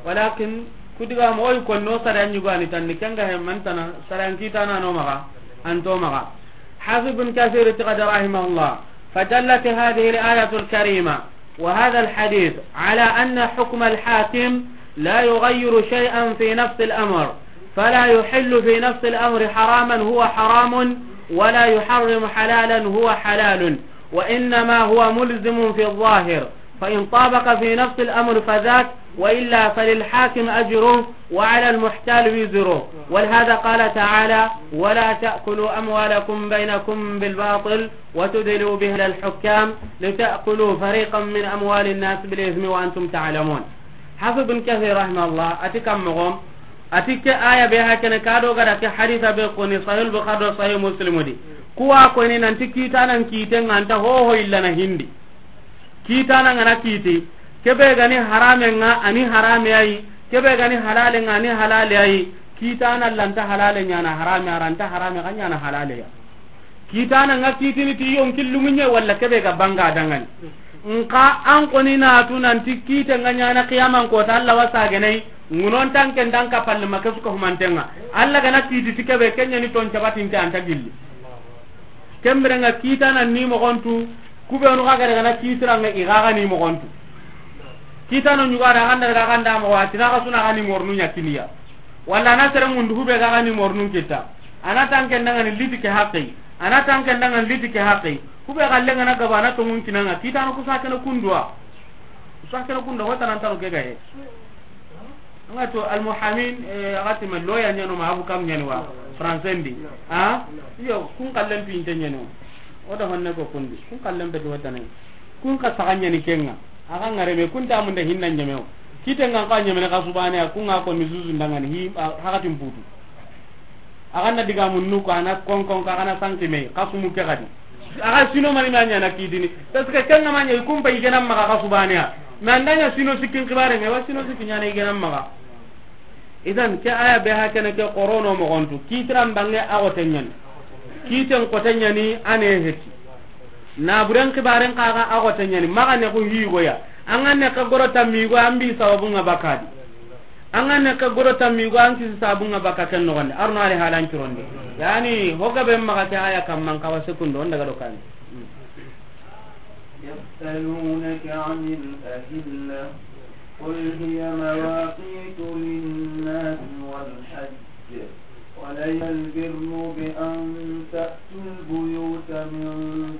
Walakin ku digamu o yi konno sariyan ɲugani tanni ke ŋa he mantana sariyan kiitana no maxa, an to maxa. Hafiz bin Kathir ti ga da rahimahullah, فدلت هذه الآية الكريمة وهذا الحديث على أن حكم الحاكم لا يغير شيئا في نفس الأمر، فلا يحل في نفس الأمر حراما هو حرام، ولا يحرم حلالا هو حلال، وإنما هو ملزم في الظاهر، فإن طابق في نفس الأمر فذاك، وإلا فللحاكم أجره وعلى المحتال وزره. ولهذا قال تعالى: ولا تأكلوا أموالكم بينكم بالباطل وتدلوا بها إلى الحكام لتأكلوا فريقا من أموال الناس بالإثم وأنتم تعلمون. Hafiz bin Kathir rahimahullah a ti kan moxo, a ti ke aya be hakene ka do ga da ke hadisa be koni Sahih Bukhari do Sahih Muslim di. Ku wa koni nanti kiitanan kiite ŋa nta hoho illa na hindi. Kiitana ŋa na kiiti, kebe ga ni harame ŋa a ni harame ayi, kebe ga ni halale ŋa a ni halale ayi. Kiitana lanta halale ɲaana harame, a ra nta harame xa ɲaana halale ya. Kiitana ŋa kiitini ti yonki lunŋiɲe walla kebe ga banga dangani. Nxa an koni na tu nanti kiite ŋa ɲaana qiyaman kota Alla wa sagene yi, ŋunon tanke nda an kapalle ma ke su ka humanten ŋa. Alla ga na kiiti ti kebe ke ɲa ni ton cabatinte an ta gilli. Ken bire ŋa kiitana ni moxon tu, ku be nu xa ga da ga na kiitira ŋa i xa ga ni moxon tu. Kiitano ɲuga da ganda ga ganda moxo a ti na xa su na xa ni mornu ɲa kiniya. Walla na sere mundu ku be ga ga ni mornu kita. A na tanke ndangani liti ke haqqi. A na tanke ndangani liti ke haqqi. Ku be ga lenga na gaba na tonŋun kinaŋa. Kiitano ku sa kene kunduwa. Sa kene kunda hota nan tano ke gaye. Anga to almuhamin, eh, agati me loya ɲano ma abu kam ɲani wa français ndi. Ha? Iyo, kun kallen pinte ɲano. O da honne ko kundi. Kun kallen be do tane. Kun ka saga ɲani kenga. Aga ngare me kun ta mun da hinna ɲame o. Kiite ŋa ka ɲame ne ka subane a kun ŋa ko ni zuzu ndangani hi, a, hakatin putu. A ga na diga munnu ko a na konkon ka, a ga na sanki me, xasu mu ke gadi. A ga sino mani ma ɲa na kitini. Parce que ken ga ma ɲa, i kumpa i gena maxa xasu baneya. Mais an da ɲa sino sikkin xibare me, wa sino sikki ɲa na i gena maxa. Idan, ke aya be ha kene ke xorono moxontu. Kitiran bange a xote ɲani. Kiten xote ɲani a ne heti. Naburen xibaren kaga a xote ɲani. Maxa ne ku higoya. An ga ne ka goro tammigo an bi sababun ŋa bakadi. An ga ne ka goro tammigo an kisi sababun ŋa baka ken noxonde. Arno ali halan curonde. Yani, hoga be maxa ke aya kamman kawa sekundo, on daga do kan. يسألونك عن الأهلة، قل هي مواقيت للناس والحج، وليس البر بأن تأتوا البيوت من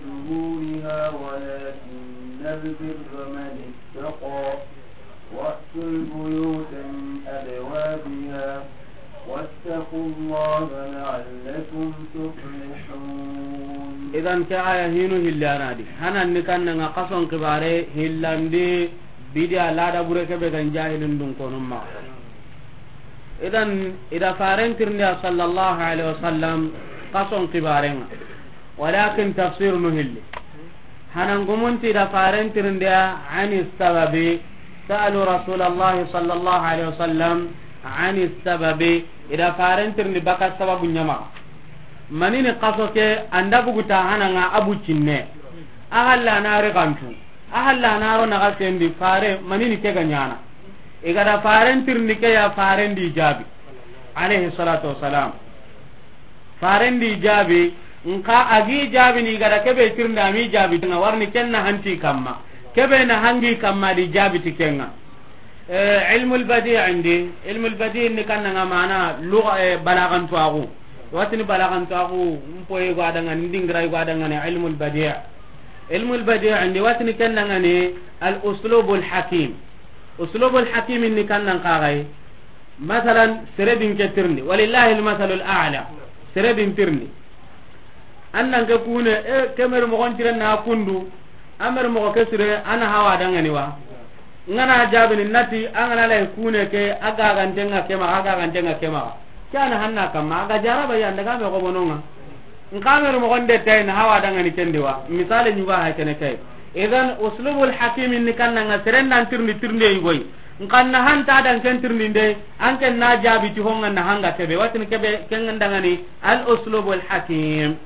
ظهورها، ولكن البر من اتقى، وأتوا البيوت من أبوابها، واتقوا الله لعلكم تفلحون. Idan, ke aya hinu hilli a na di. Hanan ni kanna ŋa xason xibare hillandi, bidiya lada bure ke be gan jahilin dun konun ma. Idan, i da faren tirindi ya sallallahu alaihi wasallam xason xibare ŋa. Walakin tafsir nu hilli. Hanan gumunti i da faren tirindi ya ani sababi. Sa'alu Rasulallahi sallallahu alaihi wasallam ani sababi. I da faren tirindi baka sababu ɲa maxa. Manini xaso ke an da bugu ta hanan ŋa a bucinne. A halla na ri gantu. A halla na ro na ga sendi fare manini ke ga ɲana. I ga da faren tirindi ke ya faren di jabi. Alayhi salatu wassalam. Faren di jabi, nka a gi jabi ni ga da kebe tirindi a mi jabi ti ŋa warni ken na hanti kamma. Kebe na hangi kamma di jabi ti ken ŋa. Eh, ilmul badi' indi, ilmul badi' ni kanna ŋa mana lugha, eh, balagan tuwaxu. Watini balagan tuwaxu, mpoye gwa da ŋa ni, ndingira gwa da ŋa ni ilmul badi'. Ilmul badi' indi, watini kenna ŋa ni al uslubul hakim. Uslubul hakim ni kannan kagai. Masalan, sere din ke tirindi. Walillahi al masalul a'la. Sere din tirindi. An nan ke kune, e, ke meri moxon tiren na kundu, a meri moxo ke sire, a na hawa dangani wa. N ga na jabini nati, an ga na lay kune ke, a ga ganten ŋa ke maxa, a ga ganten ŋa ke maxa. Ke a na hanna kamma, a ga jaraba ya, n daga me xobono ŋa. N ka meri moxon de tay na hawa dangani kendi wa. Misale ɲuga hay kene kay. Idan, uslubul hakim ni kanna ŋa seren dan tirindi tirinde yugoy. Nka na hanta dan ken tirindinde, an ken na jabi ti honga na hanga kebe, watin kebe ken dangani al uslubul hakim.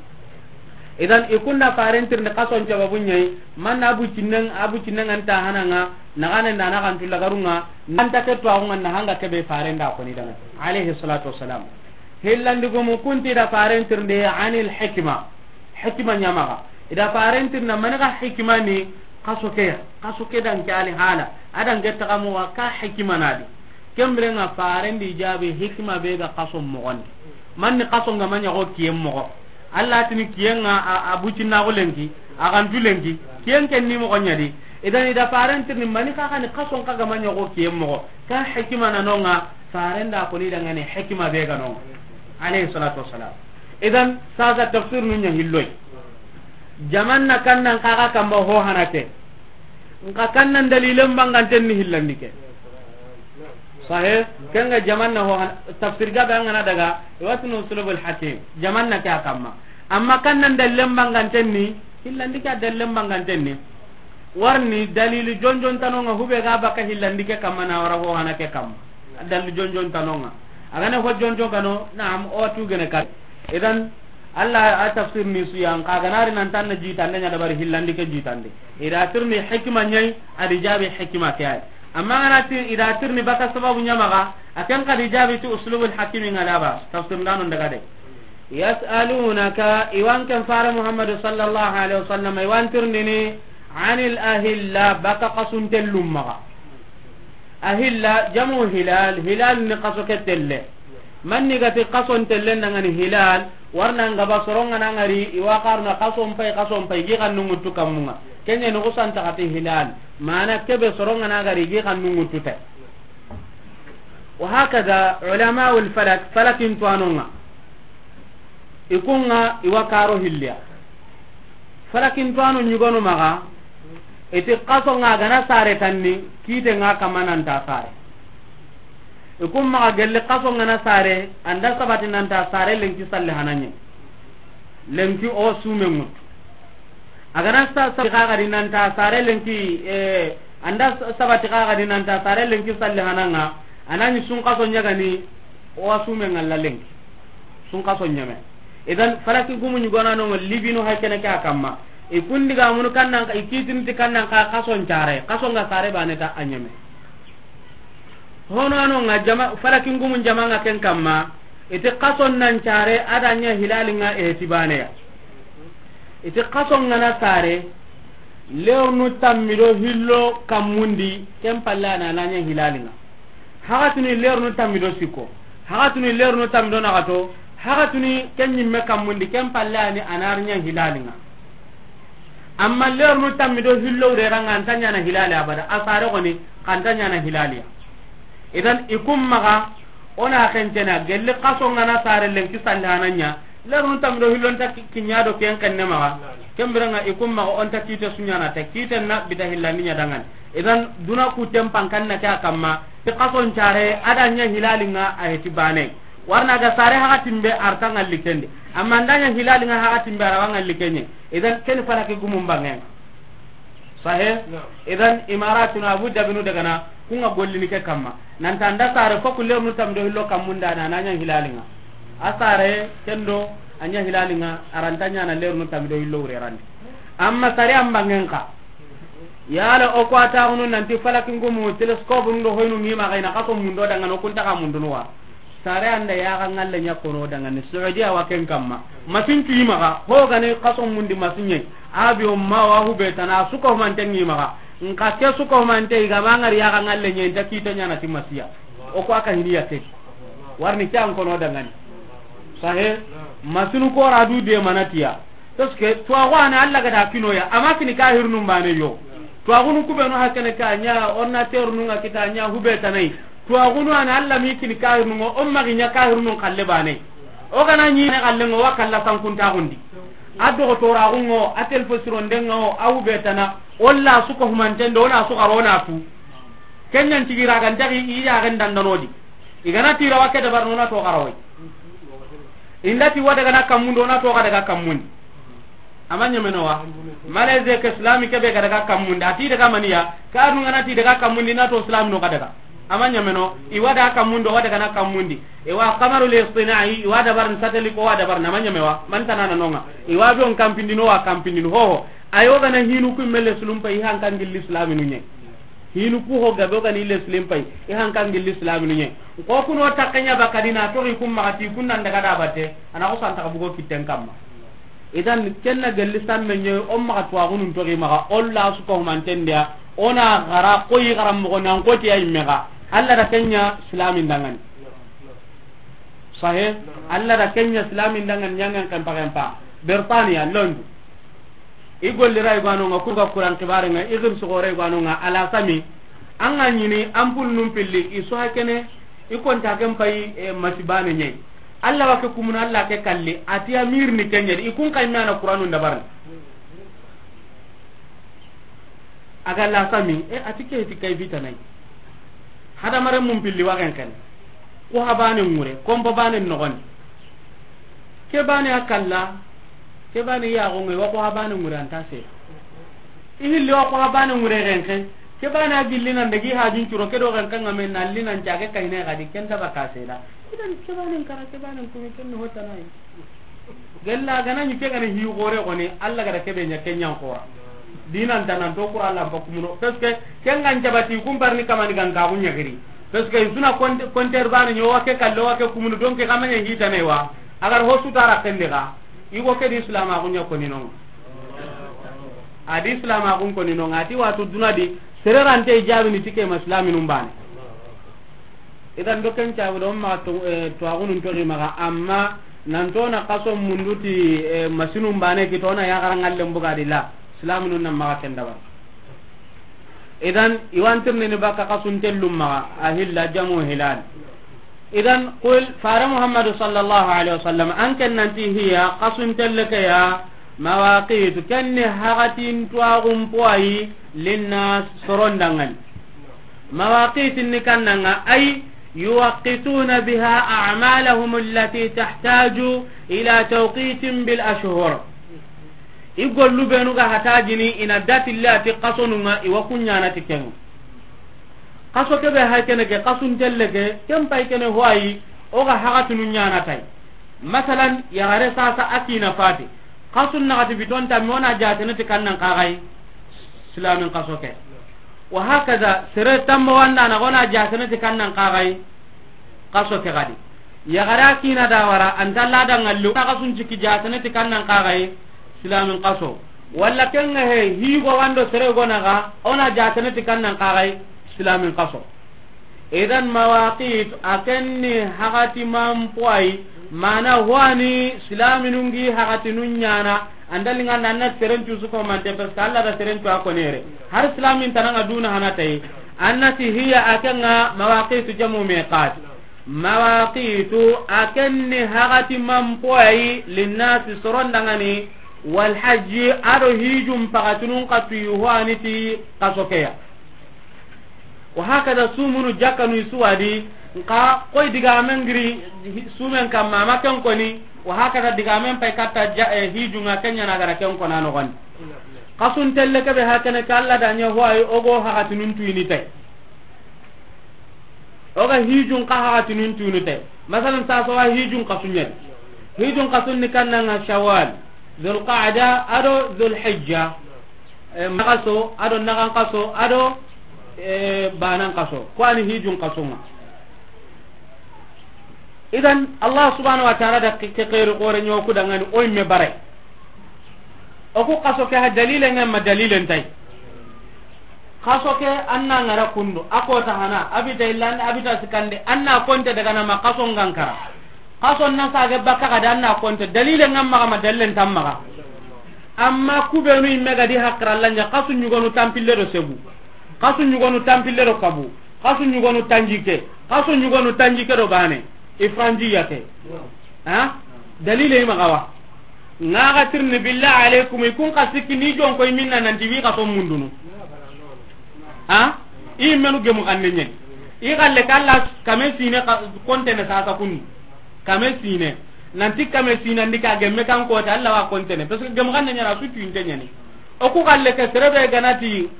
Idan i kunda faren tirindi xason sababun ɲa yi, man na abu cinnen, abu cinnen an ta hananga, na gane na na kan tulla garunga, nan ta ke to agunga na hanga kebe faren da koni danga. Alayhi salatu wassalam. Hillandi gumu kunti da faren tirindi anil hikma. Hikima ɲamaxa. I da faren tirindi mani ga hikima ni xaso ke ya. Xaso ke dan ke ali hala. A dan ke taxamu wa ka hikima na di. Kembire nga faren di jabi hikima be ga xaso moxon di. Manni xaso nga ma ɲa xo kiyen moxo. Allah tini kiyen nga a, a bucinnaxu lenki, a gantu lenki, kiyen ken ni moxo ɲa di. Idan i da faren tirindi mani xa xa ni xaso nka ga ma ɲa xo kiyen moxo. Ka hikima na nonga, faren da koni dangani hikima be ga nonga. Alayhi salatu wassalam. Idan, sasa tafsir nu ɲa hilloy. Jaman na kannan kaga kamba ho hana ke. Nka kannan dalilen banganten ni hillandi ke. Sahe, kenga jaman na ho hana, tafsir gabe an ga na daga, watinu uslubul hakim. Jaman na ke a kamma. Amma kannan dalilen banganten ni, hillandi ke a dalilen banganten ni. Warni dalilu jonjon tanonga hube ga baka hillandi ke kamma na wara ho hana ke kamma. Dalilu jonjon tanonga. A gane ho jonjon kano, naam, o tu gene kat. Idan, Allah a tafsir ni su yan ka ganari nan tan na jitande ɲa dabari hillandi ke jitande. I da tirindi hikima ɲa yi, a di jabi hikima ke ay. Amma gana ti i da tirindi baka sababu ɲamaxa, a ken ka di jabi ti uslubul hakimi nga da ba, tafsir ndano daga de. Yas'alunaka, i wa an ken fare Muhammadu sallallahu alaihi wasallam, i wa an tirindini, anil ahilla, baka xasun tellun maxa. Ahilla, jamu hilal, hilal ni xaso ke telle. Manni gati xason telle ndangani hilal, warna nga ba soronga na ngari, i wa xaruna xason pay, xason pay, gi xannu ŋuttu kammunga. Kenya ni xusan taxati hilal. Mana kebe soronga na ngari, gi xannu ŋuttu te. Wa hakada ulama'ul falak, falakin tuwanonga. I kunga i wa karo hilliya. Falakin tuwano ɲugonu maxa, iti xaso nga gana sare tanni, kite nga kamma nan ta sare. I kun maxa gelli xaso ŋa na sare, an da sabati nan ta sare lenki salli hananɲe. Lenki o sume ŋutu. A ga na sa-, sabati xa ga di nan ta sare lenki, eh, an da sa-, sabati xa ga di nan ta sare lenki salli hananga, a na ɲi sun xaso ɲa ga ni, o wa sume ŋalla lenki. Sun xaso ɲeme. Idan, falaki gumu ɲi gona no libinu hay kene ke a kamma. I kun diga munu kannan, i kitini ti kannan xa xaso ncare, xaso ŋa sare bane ta a ɲeme. Hono ano ŋa jama, falaki gumu jama ŋa ken kamma, i ti xaso nan care a da ɲa hilali ŋa e ti bane ya. I ti xaso ŋa na sare, lernu tammi do hillo kammundi, ken palle a na na ɲa hilali ŋa. Haxatuni lernu tammi do sikko, haxatuni lernu tammi do naxato, haxatuni ken ɲimme kammundi, ken palle a ni a na ri ɲa hilali ŋa. Amma lernu tammi do hillo wure ra ŋa, an ta ɲana hilali abada, a sare xoni, xa an ta ɲana hilaliya. Idan, i kun maxa, o na xencena, gelli xaso ŋa na sare lenki salli hananɲa, lernu tammi do hillo nta ki-, kiɲa do ken xenne maxa, ken bire ŋa i kun maxa, o nta kite su ɲana ta, kite na bita hillandi ɲa dangani. Idan, duna ku tempan kanna ke a kamma, ti xaso ncare, a da ɲa hilali ŋa a heti bane. Warna ga sare haxatin be arta ŋalli kendi. Amma an da ɲa hilali ŋa haxatin be ara wa ŋalli kenɲe. Idan ken falaki gumun bangen. Sahe? Naam. Idan Imaratunu Abu Dhabinu daga na, ku ŋa gollini ke kamma. Nan ta an da sare fo ku lernu tammi do hillo kammunda na na ɲa hilali ŋa. A sare kendo a ɲa hilali ŋa, ara nta ɲana lernu tammi do hillo wure randi. Amma sare an bangen xa. Yala o ko a taxunu nanti falaki gumu, telescope nu do hoynu ŋi maxa i na xaso mundo dangani, o kun ta xa mundunu wa. Sare an da yaxa ŋalle ɲa kono dangani, Saudiya wa ken kamma. Masin cu i maxa, ho ga ni xaso mundi masin ɲe. Avion ma wa hube tana, su ko humante ŋi maxa. Nka ke su ko humante i ga ma ŋari yaxa ŋalle ɲe, nta kite ɲana ti masiya. O ko a ka hiniya ke. Warni ke an kono dangani. Sahe, masinu ko ra du de manatiya. Parce que tuwaxu a na Alla ga da kinoya, a ma kini kahirnun bane yo. Tuwaxunu kubenu hakene ka ɲa, ordinateur nun ŋa kita ɲa hube tanai. Tuwaxunu a na Alla mi kini kahirnun ŋo, o ma gi ɲa kahirnun xalle bane. O ga na ɲi ne xalle ŋo, wa kalla sankuntaxundi. A doxotoraxun ŋo, a telefo sironden ŋa o, a hube tana, o la su ko humantende, o na su xaro na tu. Ken ɲan cigira ga ntaxi i yaxen dandanodi. I ga na tira wa ke dabar no na to xarawai. Inda ti wa daga na kammundi, o na to xa daga kammundi. A ma ɲameno wa? Malaisie ke islami ke be ga daga kammundi. A ti daga maniya, ka nu ga na ti daga kammundi na to islami no xa daga. A ma ɲameno, i wa daga kammundi, o wa daga na kammundi. E wa qamaru li istinai, i wa dabar satellite ko wa dabar na ma ɲame wa? Man tanana no ŋa. I wa be on kampindi no wa kampindi no ho ho. Ayo ga na hinu ku mele sulum pa i hankan gilli islami nu ɲe. Hinu ku ho gabe o ga ni le silim pay, i hankan gilli islaminu ɲe. Ko kuno takkenya bakadina to i kun maxa ti kun nan daga da batte, a na ko santa ka bugo kitten kamma. Idan kenna gelli samme ɲe, o maxa tuwaxunun toxi maxa, o la su ko humantendiya, o na xara, ko yi xara moxo nan ko ti ya yimme xa. Alla da kenya islamin dangani. Sahe, Alla da kenya islamin dangani ɲangen kan paxen pa. Bertaniya, Londres. I golli ray gwanonga, ku ga Kuran kibare nga, i gir sugore gwanonga, ala sami. An ga ɲini, an pul num pilli, i su hakene, i konta ken pay, e, masibane ɲey. Alla wa ke kumuna, Alla ke kalli, ati amir ni kenɲe, i kun kay mana Kuranun dabarni. A ga la sami, e, ati ke ti kay bitanay. Hadamare mun pilli wa gen ken. Ko habane ngure, kombo bane nogon. Ke bane a kalla, ke bane ya go ngai wa ko habane ngure anta se. I hilli wa ko habane ngure gen ken. Ke bane a gilli nan dagi hajun curo ke do gen kan ngamen na linan cage kayne gadi ken ta baka se da. Idan ke bane kara, ke bane kumi ken no tanai. Gella gana ni ke gana hi gore goni, Alla gada kebe nya kenyan kora. Dinan tanan to Qur'an lampa kumuno. Parce que ken gan jabati kum barni kamani gan ka gunya giri. Parce que suna konter bani nyo wa ke kallo wa ke kumuno, donc kamanya hita ne wa. Agar ho su tara kende ga. Igo ke di Islam a gunya koni non. Adi Islam a gun koni non. Ati watu dunadi sererante jabi ni tike ma Islam num bani. Idan do ken cagu do ma to, eh, to agunun to maxa, amma nan to na kaso munduti, eh, masinun bane ki to na ya garangallen bugadi la, islaminu nan maxa ken dabar. Idan iwantirni ni baka kasun tellum maxa, a hilla jamu hilal. Idan qul, fara Muhammadu sallallahu alaihi wasallam, an ken nanti hiya kasun telle ke ya, mawaqitu, ken ni hagatin to agun poyi, linnas, soron dangani. Mawaqiti ni kannanga ay, يوقتون بها أعمالهم التي تحتاج إلى توقيت بالأشهر. I gollu benu ga hatajini i na datille a ti xasonun ŋa, i wa ku ɲaana ti ken ŋa. Xaso ke be hay kene ke, xasun telle ke, ken pay kene ho ayi, o ga haxatinu ɲaana tay. Masalan, yaxare sasa a kiina fati. Xasun naxati biton tammi, o na jaatene ti kannan xaxayi, silaamin xaso ke. Wa hakaza, sere tamma wanda na, o na jaatene ti kannan xaxayi, xaso ke xadi. Yaxare a kiina da wara, an ta la da ŋalli, o na xasun ciki jaatene ti kannan xaxayi, silaamin xaso. Walla ken ŋa he, higo wando sere go na ga, o na jaatene ti kannan xaxayi, silaamin xaso. Idan mawaqit, a ken ni haxati manpoyi, mana ho ani silaminun gi haxatinu ɲaana, an da liŋa na, an na seren cu su ko mante, parce que Alla da seren cu a ko nere. Har silamin tana ŋa duna hana tay. An na ti hiya a ken ŋa mawaqitu jamu miqat. Mawaqitu, a ken ni haxati manpoyi, linnasi soron da ŋa ni, wal hajji, a do hijun paxatinun xa tuyi ho ani ti xaso ke ya. Wa hakada sumunu jakkanu i su wa di, nka koy digamen giri sumen kamma, a ma ken koni, wa hakada digamen pay katta ja-, eh, hijun ŋa ken ɲa na gara ken kona noxon di. Xasun telle ke be hakene ke Alla da ɲa ho ayi o go haxatinun tuyini tay. O ga hijun xa haxatinun tuyini tay. Masalan, sasa wa hijun xasun ɲa di. Hijun xasun ni kannan ŋa Shawwal, Dhul Qa'da, a do Dhul Hijja. Eh, maxaso, a do naxan xaso, a do, eh, banan xaso. Ko ani hijun xaso ŋa. Idan, Allah subhanahu wa ta'ala da ke, ke xeeri xoore ɲa o ku da ŋa ni o yimme bare. O ku xaso ke ha dalilen ŋa ma dalilen tay. Xaso ke an na ŋara kundu, a kota hana, a bita illande, a bita sikande, an na konte daga na ma xaso ŋa n kara. Xaso na sage bakka ga da an na konte, dalilen ŋa maxa ma dalilen ta maxa. Amma ku benu yimme ga di hakkara lanja, xasu ɲugonu tampille do segu. Xasu ɲugonu tampille do kabu. Xasu ɲugonu tanjike. Xasu ɲugonu tanjike do bane. Ifranji yake. Ha? Dalile i maxa wa. Ŋa ga tirni billahi alaikum, i kun xa sikki ni jon koy minna nanti wi xaso mundunu. Ha? I menu gemu xanne ɲen. I xalle ke Alla kame sine xa-, kontene sasa kundu. Kame sine. Nanti kame sine ndi ka gemme kan kota Alla wa kontene. Parce que gemu xanne ɲa na su tuinte ɲa ni. O ku xalle ke sere be ga na ti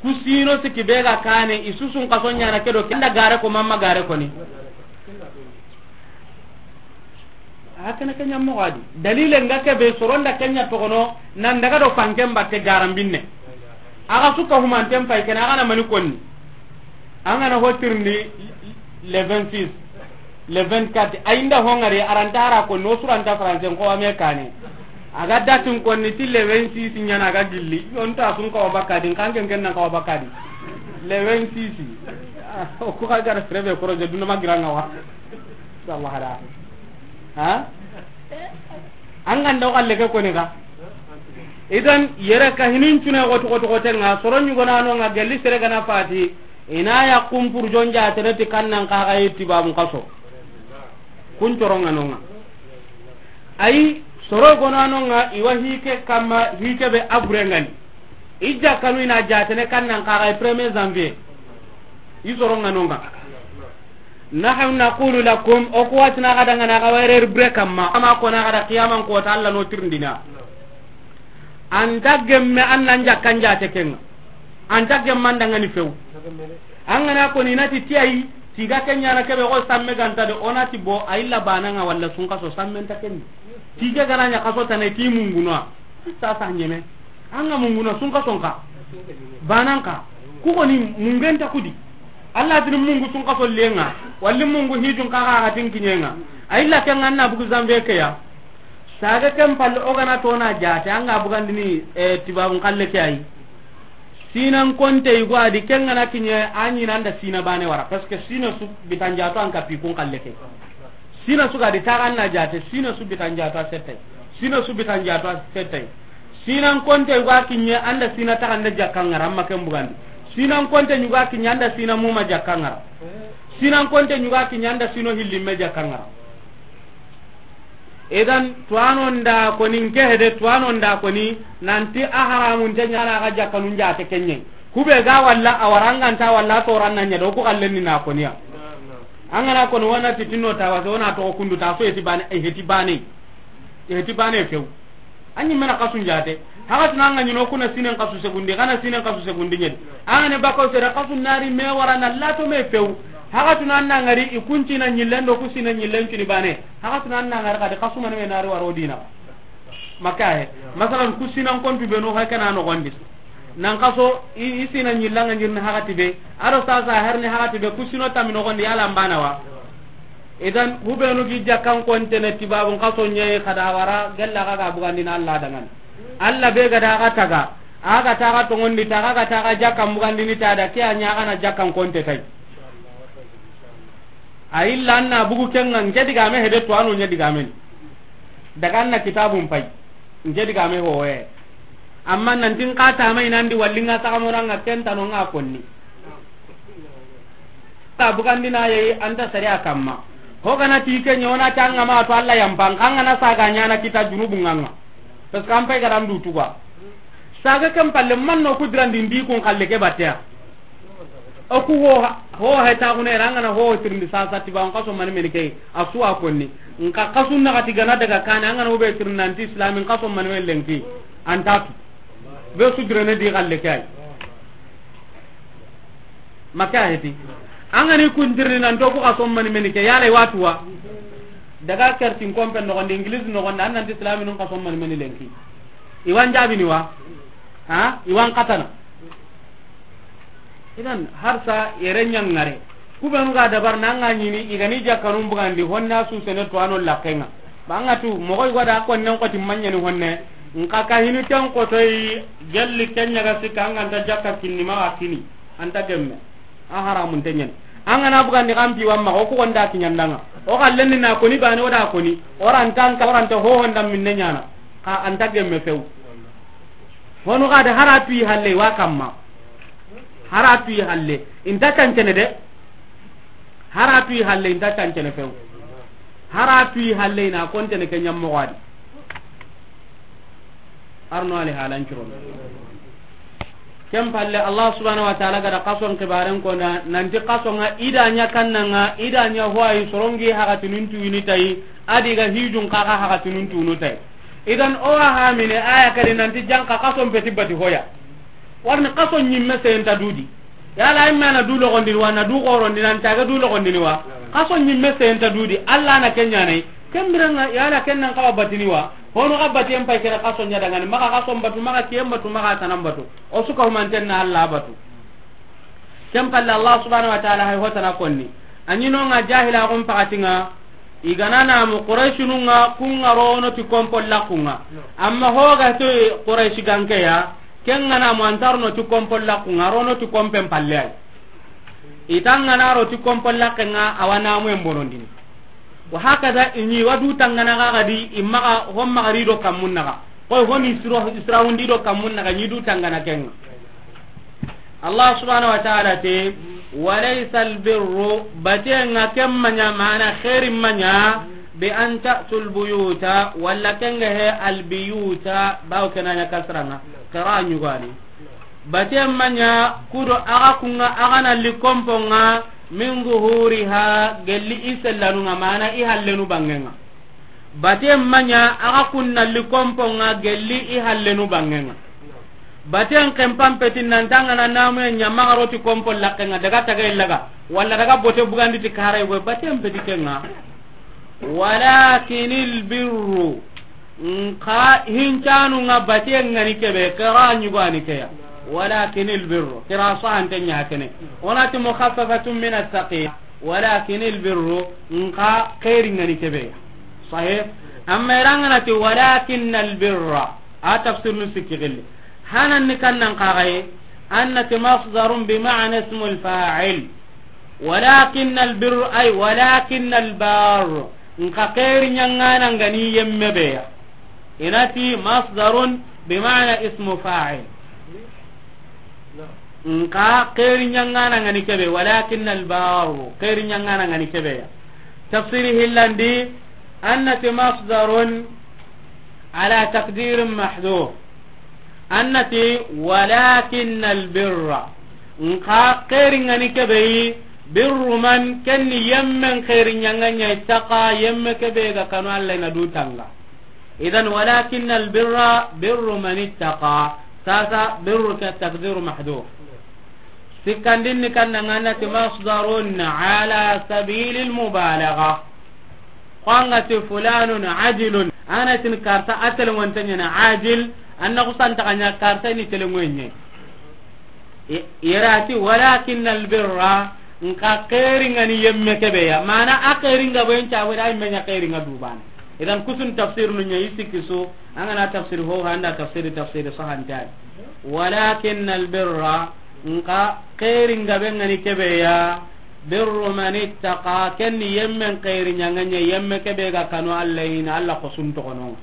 ku sino sikki be ga kane, i su sun xaso ɲaana ke do, ke nda gare ko mamma gare ko ni. A kana ke ɲa moxo a di. Dalile ŋa ke be soron da ke ɲa toxono, nan daga do fanken batte garambinne. A ga su ka humanten pay kene, a ga na mani konni. An ga na ho tirindi le vingt-six, le vingt-quatre, a yi nda ho ŋari, a ra nta a ra ko no su ra nta français ko wa me kane. A ga datin konni ti le vingt-six ɲa na a ga gilli. Yo nta sun ka wa bakka di, n kan ken ken nan ka wa bakka di. Le vingt-six. Ah, o ku ga gara sere be koroje duna ma gira ŋa wa. Inshallah hada. Ha? An ga nda o xalle ke koni ga. Idan yere ka hinin cune xoti xoti xote ŋa, soro ɲugona no ŋa, gelli sere ga na fati, i na ya kumpur jonja tere ti kannan xaxayi ti babun xaso. Kun coron ŋa no ŋa. Ayi, soro gona no ŋa, i wa hike kamma, hike be a bure ŋa ni. I jakkanu i na jaatene kannan xaxayi premier janvier. I soro ŋa no ŋa. Nahnu naqulu lakum, o ku wa ti na ga da ŋa na ga wayre bure kamma, ama ko na ga da qiyaman kota Alla no tirindina. An ta gemme an nan jakkan jaate ke ŋa. An ta gemman da ŋa ni few. An ga na ko ni na ti tiyayi, tiga ke ɲaana ke be ko samme ga nta de, o na ti bo, a illa bana ŋa walla sun xaso samme nta ken. Tiga ga na ɲa xaso tana ti munguno. Sasa ɲeme. An ga munguno sun xaso nka. Banan ka. Ku ko ni mungen ta kudi. Alla tini mungu sun xaso le ŋa. Walli mungu hijun ka ga tin kiɲe ŋa. A illa ke ŋa na bugu janvier ke ya. Saga ken palle o ga na to na jaate, an ga bugandini, eh, tibabun xalle ke ayi. Sinan konte yugo a di, ken ga na kiɲe, a ɲi na an da sina bane wara. Parce que sina su bitan jaato an ka pi kun xalle ke. Sina su ga di taga an na jaate, sina su bitan jaato a settay. Sina su bitan jaato a settay. Sinan konte yugo a kiɲe, an da sina taga an da jakka ŋara, an ma ken bugandi. Sinan konte yugo a kiɲe, an da sina muma jakka ŋara. Sinan konte yugo a kiɲe, an da sino hillimme jakka ŋara. Idan, tuwano nda koni, nke hede, tuwano nda koni, nanti a haramun te ɲana ga jakkanun jaate kenye. Kube ga walla, a waranganta walla, a toran na ɲa do, ku xallen ni na koniya. An ga na ko no, wa na ti tinno ta wa, so na to kundu ta so, heti bane, eh, heti bane. Heti bane few. An ɲi me na xasun jaate. Haga tuna an ga ɲi no kuna sinen xasu segundi, kana sinen xasu segundi ɲedi. An ga ne bako sere xasu nari me wara na lato me few. Haga tuna an na ngari i kunci na ɲillen do ku sinen ɲillen cuni bane. Haga tuna an na ngari kadi xasu mane me nari waro dina. Maka he. Masalan, ku sinan kontu be no ha kana no gondi. Nan xaso, i, i sina ɲilla nga ɲirni hagati be. Aro sasa herni hagati be, ku sino tammi no gondi yala mbana wa. Idan, hubenu gi jakkan kontene tibabun xaso ɲeyi xada wara, gella ga ga bugandina Allah dangan. Allah be ga da ga taga, a ga taga tongondi taga, ga taga jakkan bugandini tada, ke a ɲa ga na jakkan konte tay. A illa an na bugu kenga, nke digame hede to anu ɲa digamen. Daga an na kitabun pay. Nke digame hoye. Amma nan tin ka ta mai nan di wallinga ta kamoranga kenta no nga konni. Ta bugandina ye anta sariya kamma. Ho gana ti ke ɲona tanga ma to Allah yampan kanga na saga ɲana kita junubu nganga. Parce que an pay garan du tuga. Saga kan palle man no kudrandi ndi kun kalle ke batea. O ku ho, ho he ta gune ranga na ho tirindi sasa ti ba on kaso mani meni kay. Asu a konni. Nka kasu na gati gana daga kana anga no be tirindi nanti islamin kaso mani meni lenki. Antatu. Be su direne di galle kay. Maka heti. Anga ni kun tirindi nan to ku kaso mani meni kay. Yala watuwa. Daga kertin kompen no gonde English no gonde an nanti islamin kaso mani meni lenki. Iwan jabi ni wa. Ha? Iwan katana. Idan harsa yere ɲangare. Kubenu ga dabar nanga ɲini igani jakkanun bugandi honna su sene to ano lakkenga. Banga tu mogoy goda konnen koti manyani honne. Nka ka hinu ken kotoy gelli kenya ga sikka anga nta jakka kinni ma kini. Anta gemme. A haramun tenyen. Anga na bugandi kampi wamma o ko gonda kinyandanga. O kallenni na koni bani o da koni. Orantanka oranta ho honda minne nyana. Ka anta gemme few. Honu ga da haratu yi halle wa kamma. Haratu yi halle. Inta cancene de. Haratu yi halle inta cancene few. Haratu yi halle ina kontene ke ɲammo wadi. Arno ali halan curon. Ken palle Allah subhanahu wa ta'ala ga da kason kibaren ko na nanti kasonga ida ɲa kannanga ida ɲa hoyi sorongi hagatinun tuwini tayi. Adi ga hijun kaga hagatinun tunu tayi. Idan o wa hamine aya kadi nanti janka kason peti bati hoya. Warni kaso ɲimme senta dudi. Yala imme na du logondini wa, na du gorondini, an taga du logondini wa. Kaso ɲimme senta dudi. Allah na kenya nay. Kembiranga yala kennan kawa batini wa. Hono ga bati en pay kera kaso ɲa dangani. Maka kaso batu, maka kiyen batu, maka tanan batu. O suka humanten na Allah batu. Ken palle Allah subhanahu wa ta'ala hay hotana konni. Anyino nga jahila gon pakatinga. Igana na mu Quraishinunga kunga rono ti kompo lakunga. Amma hoga to Quraishi gankeya. Ken ngana mo antarno ti kompo lakunga rono ti kompen palle ay. Itangana ro ti kompo lakenga awana mu en bonondini. Wa hakada ini wadu tangana ga gadi imaka homma gari do kamunnaga. Koy honi isra hundi do kamunnaga ni du tangana kenga. Allah subhanahu wa ta'ala te, walaysa albirru, batenga kemmanya mana khairin manya, bi an ta'tul buyuta, walla kenga he albiyuta, bawo kenanya kasranga, qira nyugani. Baten manya kudo aga kunga aga na likomponga min zuhuriha gelli isellanunga mana i hallenu bangenga. Baten manya aga kunna likomponga gelli i hallenu bangenga. Baten kempan petin nan tangana namu nya magaroti kompo lakenga daga taga illaga wala daga bote bugandi ti kare go baten peti kenga. Walakinil birru. Nka hincanu nga bate ngani kebe, kera nyugani keya. Walakinil birru. Kera sahante nya kene. Onati mukhaffafatun min as-saqil. Walakinil birru. Nka khairi ngani kebe. Sahih. Amma irangana ti walakinnal birra. A tafsir nu sikki gilli. Hanan ni kannan kagaye. Annati masdarun bi ma'na ismul fa'il. Walakinnal birru, ay, walakinnal barru. Nka khairi nyangana ngani yemme beya. Inati masdarun bi ma'na ismu fa'il. Nka khairi nyangana ngani kebe, walakinnal barru. Khairi nyangana ngani kebe ya. Tafsiri hillandi, annati masdarun ala taqdirin mahdhuf. Annati walakinnal birra. Nka khairi ngani kebe yi, Birru man, ken ni yemmen xeeri ɲaŋa ɲa, ittaqa, yemme ke be ga kanu Alla na du tanga. Idan, walakin albirra birru man ittaqa. Sasa, birru ke takdiru mahdhuf. Sikkandin ni kanna ŋa na ti masdarun ala sabilil mubalagha. Ko an ga ti fulanun ajilun, an ga na ti karta a telengonte ɲa na ajil, an na xusantaxa ɲa karta ni telengoye ɲa. I-, yere a ti, walakin albirra, nxa xeeri ŋa ni yemme ke be ya. Mana a xeeri ŋa be ɲa, wala a yemme ɲa xeeri ŋa du baane. Idan kusun tafsir nu ɲa i sikki su, an ga na tafsir ho, an da tafsir, tafsir sahanta. Walakin albirra, nxa xeeri ŋa be ŋa ni ke be ya, birru man ittaqa, ken ni yemmen xeeri ɲaŋa ɲa, yemme ke be ga kanu Alla yi na Alla xosun toxono ŋa.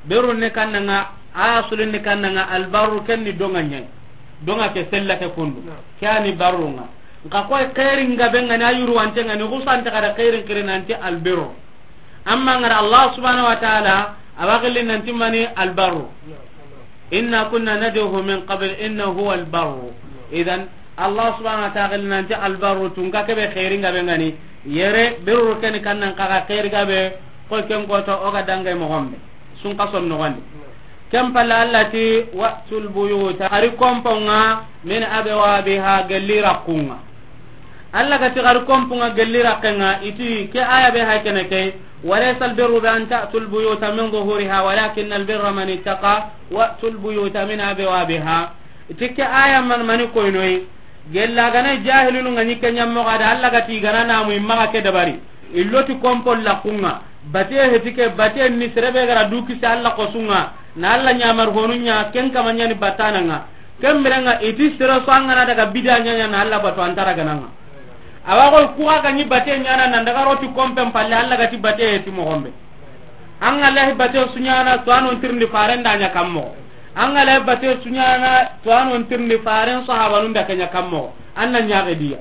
Birru ni kanna ŋa, a sulin ni kanna ŋa, albarru ken ni doŋa ɲa. Doŋa ke sella ke kundu. Naam. Ke a ni barru ŋa. Nxa koy xeeri ŋa be ŋa ni a yurwante ŋa ni, xusantaxa da xeerin xiri nanti albirru. Amma ŋa ra Allah subhanahu wa ta'ala, a wa xilli nanti mani albarru. Inna kunna nad'uhu min qabl innahu huwal barru. Idan, Allah subhanahu wa ta'ala xilli nanti albarru, tunka ke be xeeri ŋa be ŋa ni. Yere, birru ken ni kanna nxa ga xeeri ga be, ko ken ko to o ga dange moxo be. Sun ka son noxon di. Ken palle Alla ti, wa'tul buyuta, xari kompo ŋa, min abwabiha, gelli raqqu ŋa. Alla ga ti xari kompo ŋa gelli raqqe ŋa, i ti ke aya be hay kene ke, walaysa albirru bi an ta'tul buyuta min zuhuriha, walakin albirra man ittaqa, wa'tul buyuta min abwabiha. I ti ke aya man mani koynoyi, gella ga na jahilunu ŋa ni ke ɲa moxo a da, Alla ga ti ga na namu i maxa ke dabari. I lo ti kompo laqqu ŋa, bate heti ke, bate ni sere be ga ra du kisi Alla xosu ŋa, na Alla ɲamar honu ɲa, ken kama ɲa ni batana ŋa. Ken bire ŋa i ti sere su an ga na daga bida ɲa ɲa na Alla batu an ta ra gana ŋa. Awa ko ku ga ɲi bate ɲa na nan daga ro ti kompen palle Alla ga ti bate heti moxo be. An ga lahi bate su ɲa na to a non tirindi faren da ɲa kammo. An ga lahi bate su ɲa na to a non tirindi faren sahabanun da ke ɲa kammo. An na ɲa ga diya.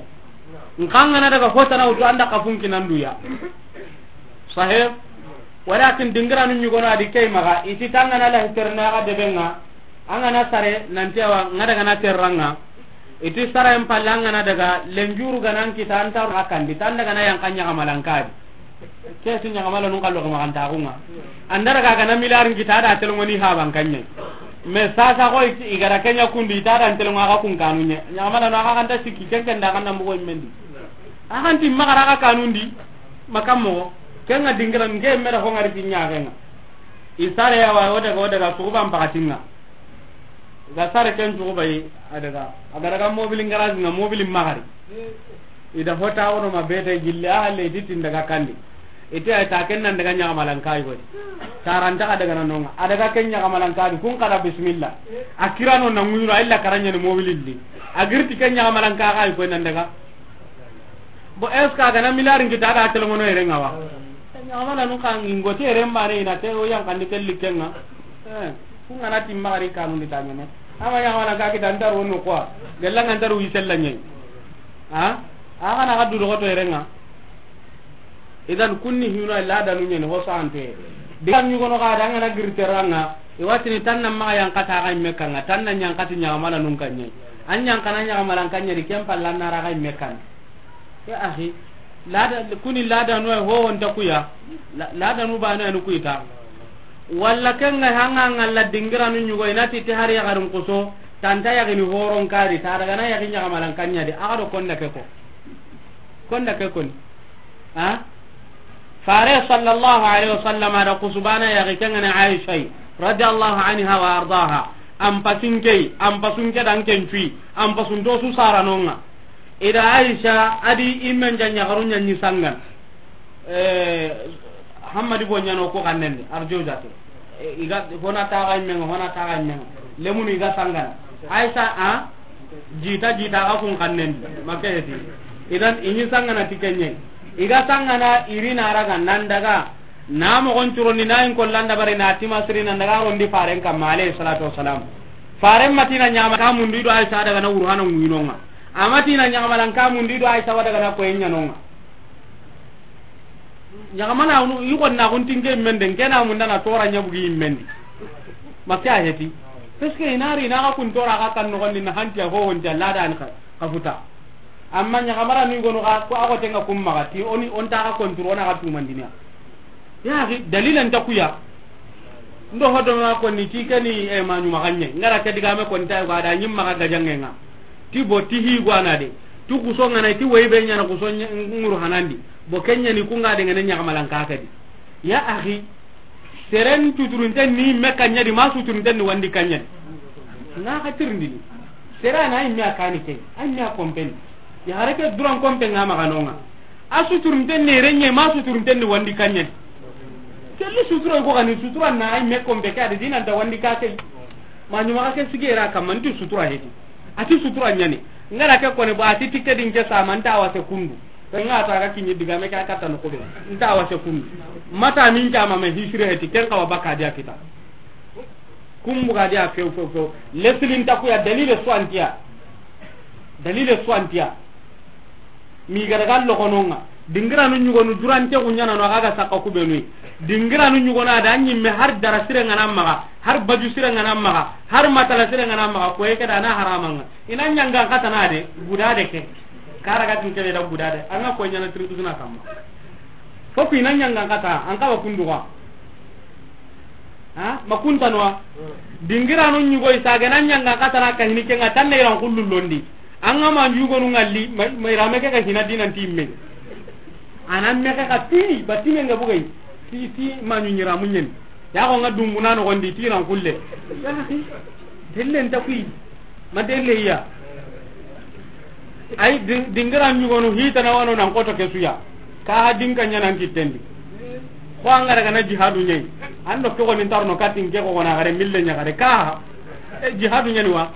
Nxa an ga na daga hotana wutu an da kafun kinan duya. Sahih. Walakin dingiranu ɲugono a di ke maxa, i ti tangana lahi terna ga debe ŋa, an ga na sare nanti awa ŋa daga na terra ŋa. I ti sara en palle an ga na daga lenjuru ga nan kita an ta ro a kan di, tan daga na yan kan ɲaxamalan ka di. Ke ti ɲaxamalanun kallo ga maxa an ta xu ŋa. An da daga ga na miliyar n kita da telengoni haban kan ɲa. Mais sasa ko i ga ra ke ɲa kundu i ta da an telengo a ga kun kanu ɲa. Ɲaxamalanu a ga kan ta sikki ken ken da kan na mugo mendi. A ga nti maxa ra ga kanun di, maxa moxo, ken ŋa dingira nge me da ho ŋari ti ɲa ke ŋa. I sare ya wa, o daga, o daga, suxuban paxati ŋa. Ga sare ken suxuba yi, a daga, a ga daga mobilin garage ŋa, mobilin maxari. I da hota wono ma bete gille, a halle i ti tin daga kandi. I ti ay ta ken nan daga ɲaxamalan kayi godi. Taranta a daga na no ŋa. A daga ken ɲaxamalan kayi, kun kada bismillah. A kirano na ŋuyuro, a illa kara ɲa ni mobilin di. A giri ti ken ɲaxamalan kayi ko nan daga. Bon, est-ce que a ga na miliyar n kita da telengono yere ŋa wa? Ɲaxamalanu ka ŋi n goti yere mbane i na te o yan kandi ke likke ŋa. Eh, kun ga na ti maxari kanun di ta ɲa ne. Ama ɲaxamalan ka kita n ta ro no quoi. Gella ŋa n ta ro wi sella ɲa. Ha? A ga na ga du doxoto yere ŋa. Idan kunni hino ladanu ɲa ni ho sante. Diga ɲugono ga da an ga na giri terra ŋa. I wa ti ni tan na maxa yan kata ga i me kan ŋa, tan na ɲa n kati ɲaxamalanun kan ɲa. An ɲa n kana ɲaxamalan kan ɲa di ken palle an na ra ga i me kan. Ya akhi, lada, kuni ladanu ay ho wonta kuya. La-, ladanu bane anu kuita. Walla ken ŋa hanga ngalla dingiranu ɲugo i na ti te hari yaxarin kuso, tanta yaxini horon kari, ta daga na yaxi ɲaxamalan kan ɲa di, a ga do konda ke ko. Konda ke koni. Ha? Fare sallallahu alaihi wasallam a da kusubana yaxi ken ŋa ni Aisha radiyallahu anha wa ardaha. Am pasinke, am pasunke dan ken cui, am pasunto su sara no ŋa. I da Aisha a di i men ja ɲaxaru ɲa ni sangana. Eh, Hammadi bo ɲano ko kannen di, arjo jate. Eh, i ga, hona taxa i me ŋa, hona taxa i me ŋa. Lemunu i ga sangana. Aisha, a? Jita, jita, a kun kannen di. Make heti. Idan, i ni sangana ti ken ɲa. I ga sangana, i ri na raga, nan daga. Na moxon curo ni, na in kollan dabari, na ti masiri, nan daga rondi faren kamma, alayhi salatu wassalam. Faren ma ti na ɲaxama ka mundu i do Aisha daga na wurhana ŋuyino ŋa. A ma ti na ɲaxamalan ka mundu i do Aisha wa daga na koyen ɲa no ŋa. Ɲaxamala nu, i xonna xun tinge men den, kena munda na tora ɲa bugi men di. Make a heti. Parce que i na ri na ga kun tora ga kan no xonni na hanti a ho wonti a lada an ka, ka futa. Amma ɲaxamara ni gono xa, ko a xote nga kum maxa, ti o ni, o nta xa konturu, o na xa tumandini ya. Ya axi, dalila nta ku ya. Ndo hodo ma ko ni ti ke ni, e, ma ɲuma xa ɲe. N ga ra ke digame ko nta ko a da ɲi maxa gajanŋe nga. Ti bo ti hi gwana de. Tu kuso nga na ti woyi be ɲana kuso ŋuru hanandi. Bo ke ɲa ni ku nga de nga ne ɲaxamalan ka ke di. Ya axi, seren suturunten ni me ka ɲa di, ma suturunten ni wandi ka ɲa di. Na xa tirindini. Sere na i me a kani ke, a me a kompeni. Ya hare ke duran kompe nga maxa no nga. A suturunten ni renye, ma suturunten ni wandi ka ɲa di. Kelli sutura ko gani sutura na a me kompe ke, a de dina nta wandi ka ke. Ma ɲuma xa ke sigera kamma nti sutura heti. A ti sutura ɲa ni. N ga ra ke ko ne ba a ti tike din ke sa ma nta wase kundu. Ke nga ta ga kiɲi digame ke a katta no ko be. Nta wase kundu. Mata min jama me hisire heti, ken xawa baka dia kita. Kum buga dia few, few, few. Leslin ta ku ya dalile swantiya. Dalile swantiya. Mi ga daga loxono nga. Dingiranu ɲugonu durante ku ɲana no a ga ga sakka ku benu. Dingiranu ɲugonu a da ɲimme har dara sire nga na maxa, har baju sire nga na maxa, har matala sire nga na maxa, ko yeke da na harama nga. I na ɲangan katana de, guda de ke. Kara ga tin kebe da guda de. An ga ko ɲana tiri kusuna kamma. Foku i na ɲangan kata, an ka wa kundu ga. Ha? Ma kunta no wa? Dingiranu ɲugo i sa ga na ɲangan katana ka hini ke nga tanne iran kullu londi. An ga ma ɲugonu ngalli, ma, ma irame ke ka hina dinan ti me. Anan me ke ka ti, batime nga bugay. Ti, ti ma ɲu ɲira munyen. Ya ko nga dumbuna no gondi ti ran kulle. Ya akhi. Delle nta kuyi. Ma delle ya. Ay, di-, dingira ɲugonu hitana wano nan koto ke suya. Ka ha dinka ɲanan kittendi. Ko an ga daga na jihadu ɲayi. An do ke ko ni tarno katin ke ko na gare mille ɲa gare. Ka ha, e, jihadu ɲani wa.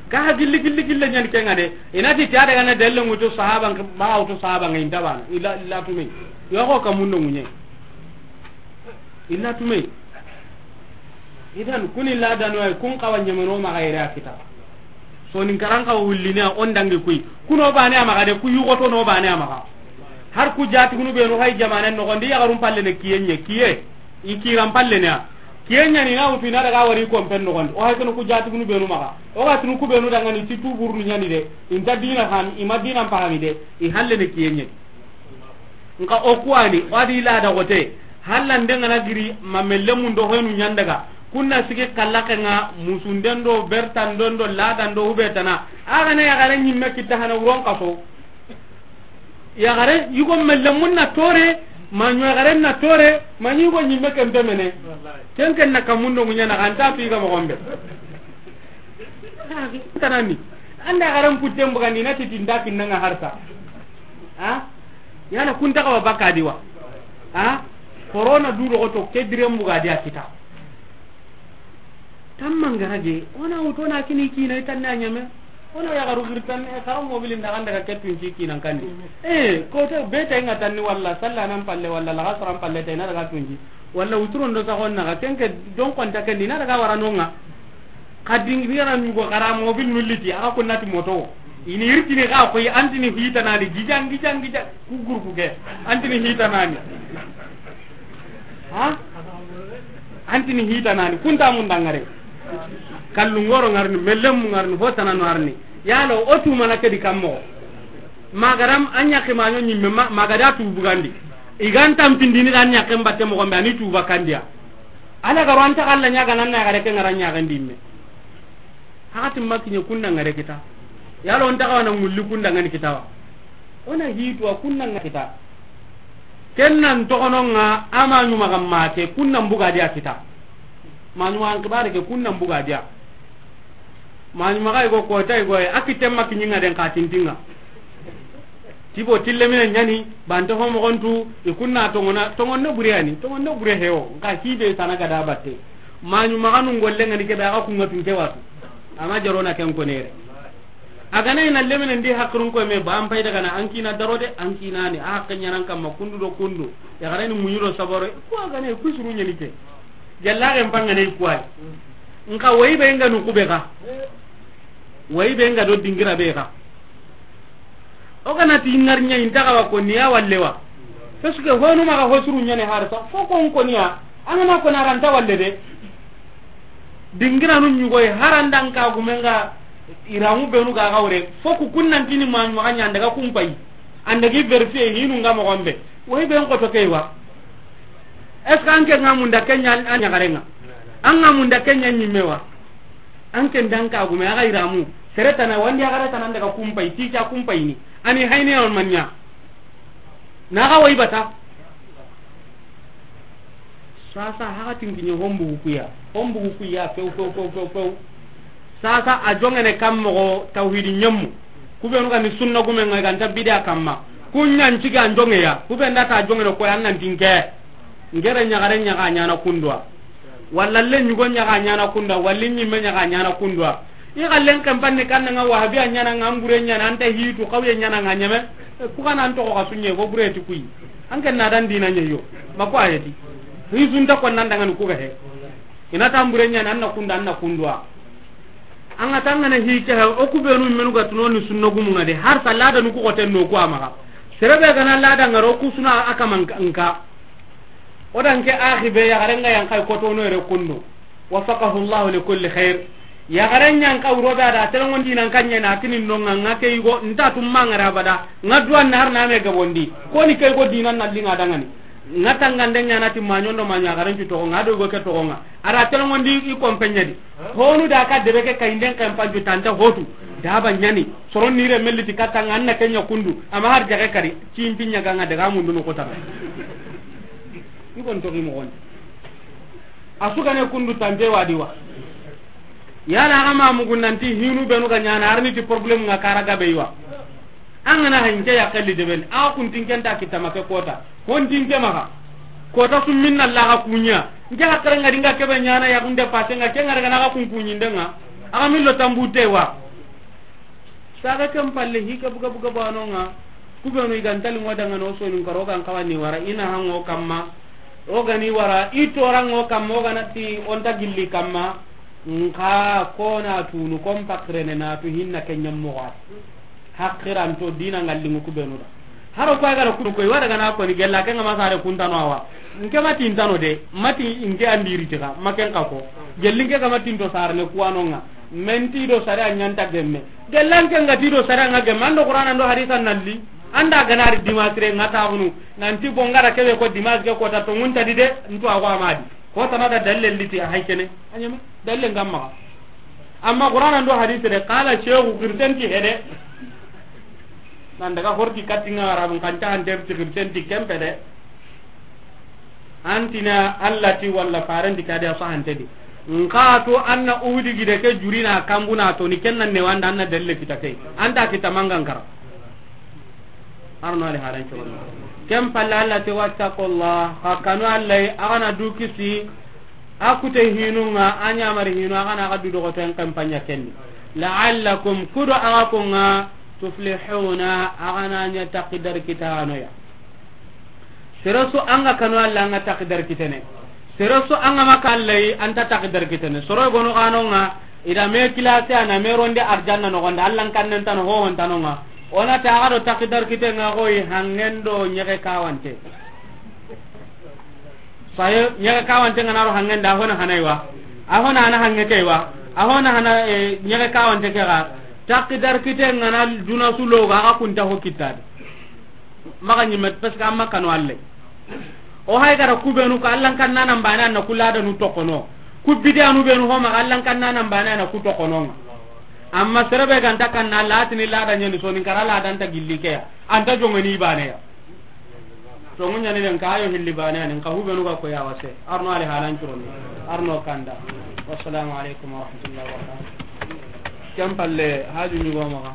Ka ha gilli, gilli, gilli ɲani ke nga de. I na ti ta daga na delle mutu sahaba, ma wutu sahaba nga inta bana. Ila, ila tume. Yo ko ka mundo ŋuɲe. Illa tume. Idan kuni ladano ay kun xawa ɲemeno maxa yere a kita. Soninkaran xawa wullini a on dangi kuy. Kuno bane a maxa de, ku yugoto no bane a maxa. Har ku jatigunu benu hay jamanen noxondi yaxarum palle ne kiye ɲe, kiye. I kiran palle ne a. Kiye ɲani na wutu i na daga wari kompen noxondi. O hay kenu ku jatigunu benu maxa. O ga tunu ku benu dangani ti tuburunu ɲani de. Inta dina han, i ma dina pahami de. I halle ne kiye ɲe. Nka o kuwani, o adi lada xote, halla nde ngana giri, ma melle mun do hoynu ɲandaga, kunna sigi kallake nga, musunden do, bertanden do, ladan do, hubetana, a gana yaxare ɲimme kitta hana wuron kaso. Yaxare, yugo melle mun na tore, ma ɲo yaxare na tore, ma ɲi yugo ɲimme kempe mene. Ken ken na kamundo ŋuɲana, anta tu iga moxombe. Tanani. Anda garan kutten bugandi na titi nda kinnanga harsa. Ha? Yala kunta kawa bakka di wa. Ha? Corona du do to ke diren bugadi a kita. Tamman garage, ona wuto na kini kina itanna ɲame. Ona ya garu girtan, e, kara mobilin da ganda ka ketun ki kinan kandi. E, ko to beta nga tanni walla salla nan palle walla la gasran palle tena daga tunji. Walla wuturon do saxon naxa, kenke don konta kendi na daga wara nonga. Xa dingiranu ɲugo xara mobil nulliti, axa kunnati moto. Ini irtini xa koy antini hitanani, gijan, gijan, gijan, ku groupe ke. Antini hitanani. Ha? Antini hitanani, kunta mun dangare. Kallungoro ngarni, mellemu ngarni, hotananu ngarni. Yalo, o tumana kedi kammo. Magaram, anya kimanyo nyimme, ma-, magada tu bugandi. Igan tampindini dan ɲaken batte moxo be, ani tuba kandiya. Ala garo anta Alla ɲaga nan na gare ke ngara ɲaga ndimme. Hakati makiɲe kunda ngare kita. Yalo onta kawana ngulli kunda ngani kitawa. Ona hitu a kunda ngani kita. Kennan toxononga ama ɲuma gamma ke kunnan buga dia kita. Ma ɲuma an kibare ke kunnan buga dia. Mani maxa i go kota i go, a kitte ma kiɲinga den xa tintinga. Tibo tille mine ɲani, bante ho moxontu, i kunna tongona, tongonne bure yani, tongonne bure hewo, nka kibe sana gada batte. Mani maxa nun golle ngani kebe, axa kunga tunte watu. Ama jarona ken konere. A gana ina lemine ndi hakrun ko me, ba an payda gana, an kina daro de, an kina ni, a hakke ɲanan kamma, kundu do kundu. Ya garani muɲuro saboro, ko a gana kusuru ɲani ke. Gella ken pangane kuwai. Nka wayi be nga nu kube ga. Wayi be nga do dingira be ga. O gana ti ngar ɲa inta ga wa ko niya walle wa. Parce que honu maxa hosuru ɲane harta. Fo ko ko niya. Angana ko na ranta walle de. Dingira nu ɲugoy harandan ka gumenga. Iramu benu ga ga wure, fo ku kunnantini ma maxa ɲa an daga kumpayi. An dagi vérifier hinu nga moxo be. Woy ben xoto ke wa. Est-ce que an ke nga munda ke ɲa an ɲaxarenga? An nga munda ke ɲa ɲimme wa? An ke ndan ka gume a ga iramu. Sere tana wandi a ga ra tana an daga kumpayi, ti ka kumpayi ni. Ani hayne on man ɲa. Na ga woy bata. Sasa hakatin kiɲe hombugu kuya, hombugu kuya, few, few, few, few, few. Sasa a jongene kam moxo tawhidi ɲemmu. Kubenu ga ni sunna gume nga ganta bidia kamma. Kunɲan ciga an jongeya. Kube nda ta jongene ko yan nan tinke. Ngere ɲagare ɲaga ɲana kundwa. Walla le ɲugo ɲaga ɲana kundwa. Walla ɲimme ɲaga ɲana kundwa. I xallen kampanni kanna nga wahabiya ɲana nga mbure ɲana anta hitu xawye ɲana nga ɲeme. Ku kana an toxo xa sunɲe fo bure ti kuyi. An ken na dan dina ɲeyo. Ma ko ayeti. Hisunta ko nan dangani ku ga he. Ina tambure ɲana anna kunda anna kundwa. An ga tangana hi ke ha o ku benu menu ga tuno ni sunna gumu nga de har sa lada nu ku goten no ku amaga. Serebe gana lada ngaro ku suna akaman nka. O dan ke axi be ya garenga yan kay ko to no ere kundu. Waffaqahu Allah li kulli khair. Ya garen yan ka urobe ada telongondi nan kanye na tinin no nga ke yugo nta tum mangara bada. Nga duwan na har na me gabondi. Ko ni kay go dinan na linga dangani. Nga tangande ɲana ti maɲondo maɲa garen ju to nga do go ke to nga. Ara telongondi i kompeɲe di. Honu da ka debe ke kayinden kan panju tanta hotu. Da ba ɲani. Soron nire melli ti katanga anna kenya kundu. Ama har jage kari. Cimpi ɲaga nga daga mundu no kotana. I gon to gi mo gon. A sugane kundu tante wadi wa. Yala aga ma mugu nanti hinu benu ga ɲana arni ti problème nga kara gabe wa. An gana hanke ya kalli deben a kuntin kenta kitama ke kota. Hontin ke maga. Kota summinna laga kunya. Nke hakara nga dinga kebe ɲana ya kunde pase nga ke nga daga na ga kun kunyin denga. Aga millo tambute wa. Saga ken palle hi ke buga buga banonga. Kubenu i gantali ngo danga no sonin karo gan kawani wara ina hango kamma. O gani wara i torango kamma o ganati onta gilli kamma. Nka kona tunu kon pakrene na tu hinna kenyam mo wa. Hakiranto dina ngallingu kubenu da. Haro ko agara kudu koy wada gana ko ni gella ke ngama sare kuntano awa. Nke mati intano de, mati inke andiri tiga, maken ka ko. Gelli nke ga mati into sarne kuwanonga. Menti do sare anyanta gemme. Gellan ke ngati do sare nga gemme ando Qur'ana ndo hadisa nalli. Anda ganari dimasre ngata hunu. Nanti bongara kebe ko dimas ke ko ta to ngunta di de, ntu awa amadi. Ko tana da dalle liti a haykene. Anyame dalle ngamma. Amma Qur'ana ndo hadisi de qala shehu kirtenti hede. Nan daga horti kattinga arabun kanta hanter ti kirtenti kempe de. Antina Allah ti walla farenti kadi a sahante di. Nka to anna uhudi gide ke jurina kambuna to ni kennan ne wanda anna dalle kita ke. Anta kita mangankara. Arno ali halan to. Kem palla Allah ti wattaqullah. Hakanu Allah agana du kisi. A kute hinunga, a ɲamari hinu, a gana a ga du dogoten kampanya kenni. La'allakum kudo a ga konga tuflihuna, a gana ɲa takidar kitanoya. Seresu anga kanu Allah anga takidar kitene. Seresu anga maka Allah yi anta takidar kitene. Soro gono ganonga ida me kilase ana me ronde arjanna no gonda Allah kannen tano ho hon tanonga. Ona ta ga do takidar kitenga goyi hangendo nyege kawante. Saye ɲaga kawante ngana ro hangenda a hona hanai wa. A hona ana hange kai wa. A hona hana ɲaga kawante ke ga. Takidar kite ngana duna sulo ga ga kunta ho kitade. Maga nyimet parce que amma kanu alle. O hay gara kubenu ko Allah kan nana mbana na kulada nu tokono. Ku bidanu benu ho maga Allah kan nana mbana na ku tokono. Amma serebe ganta kan na latini lada nyani soni kara ladan ta gillike ya. Anta jongani bane ya. Tongu ɲani den kayo hilli bane anin ka hubenu ga ko ya wase. Arno ali halan curoni. Arno kanda. Wassalamu alaikum warahmatullahi wabarakatuh. Kem palle haju ni go maga.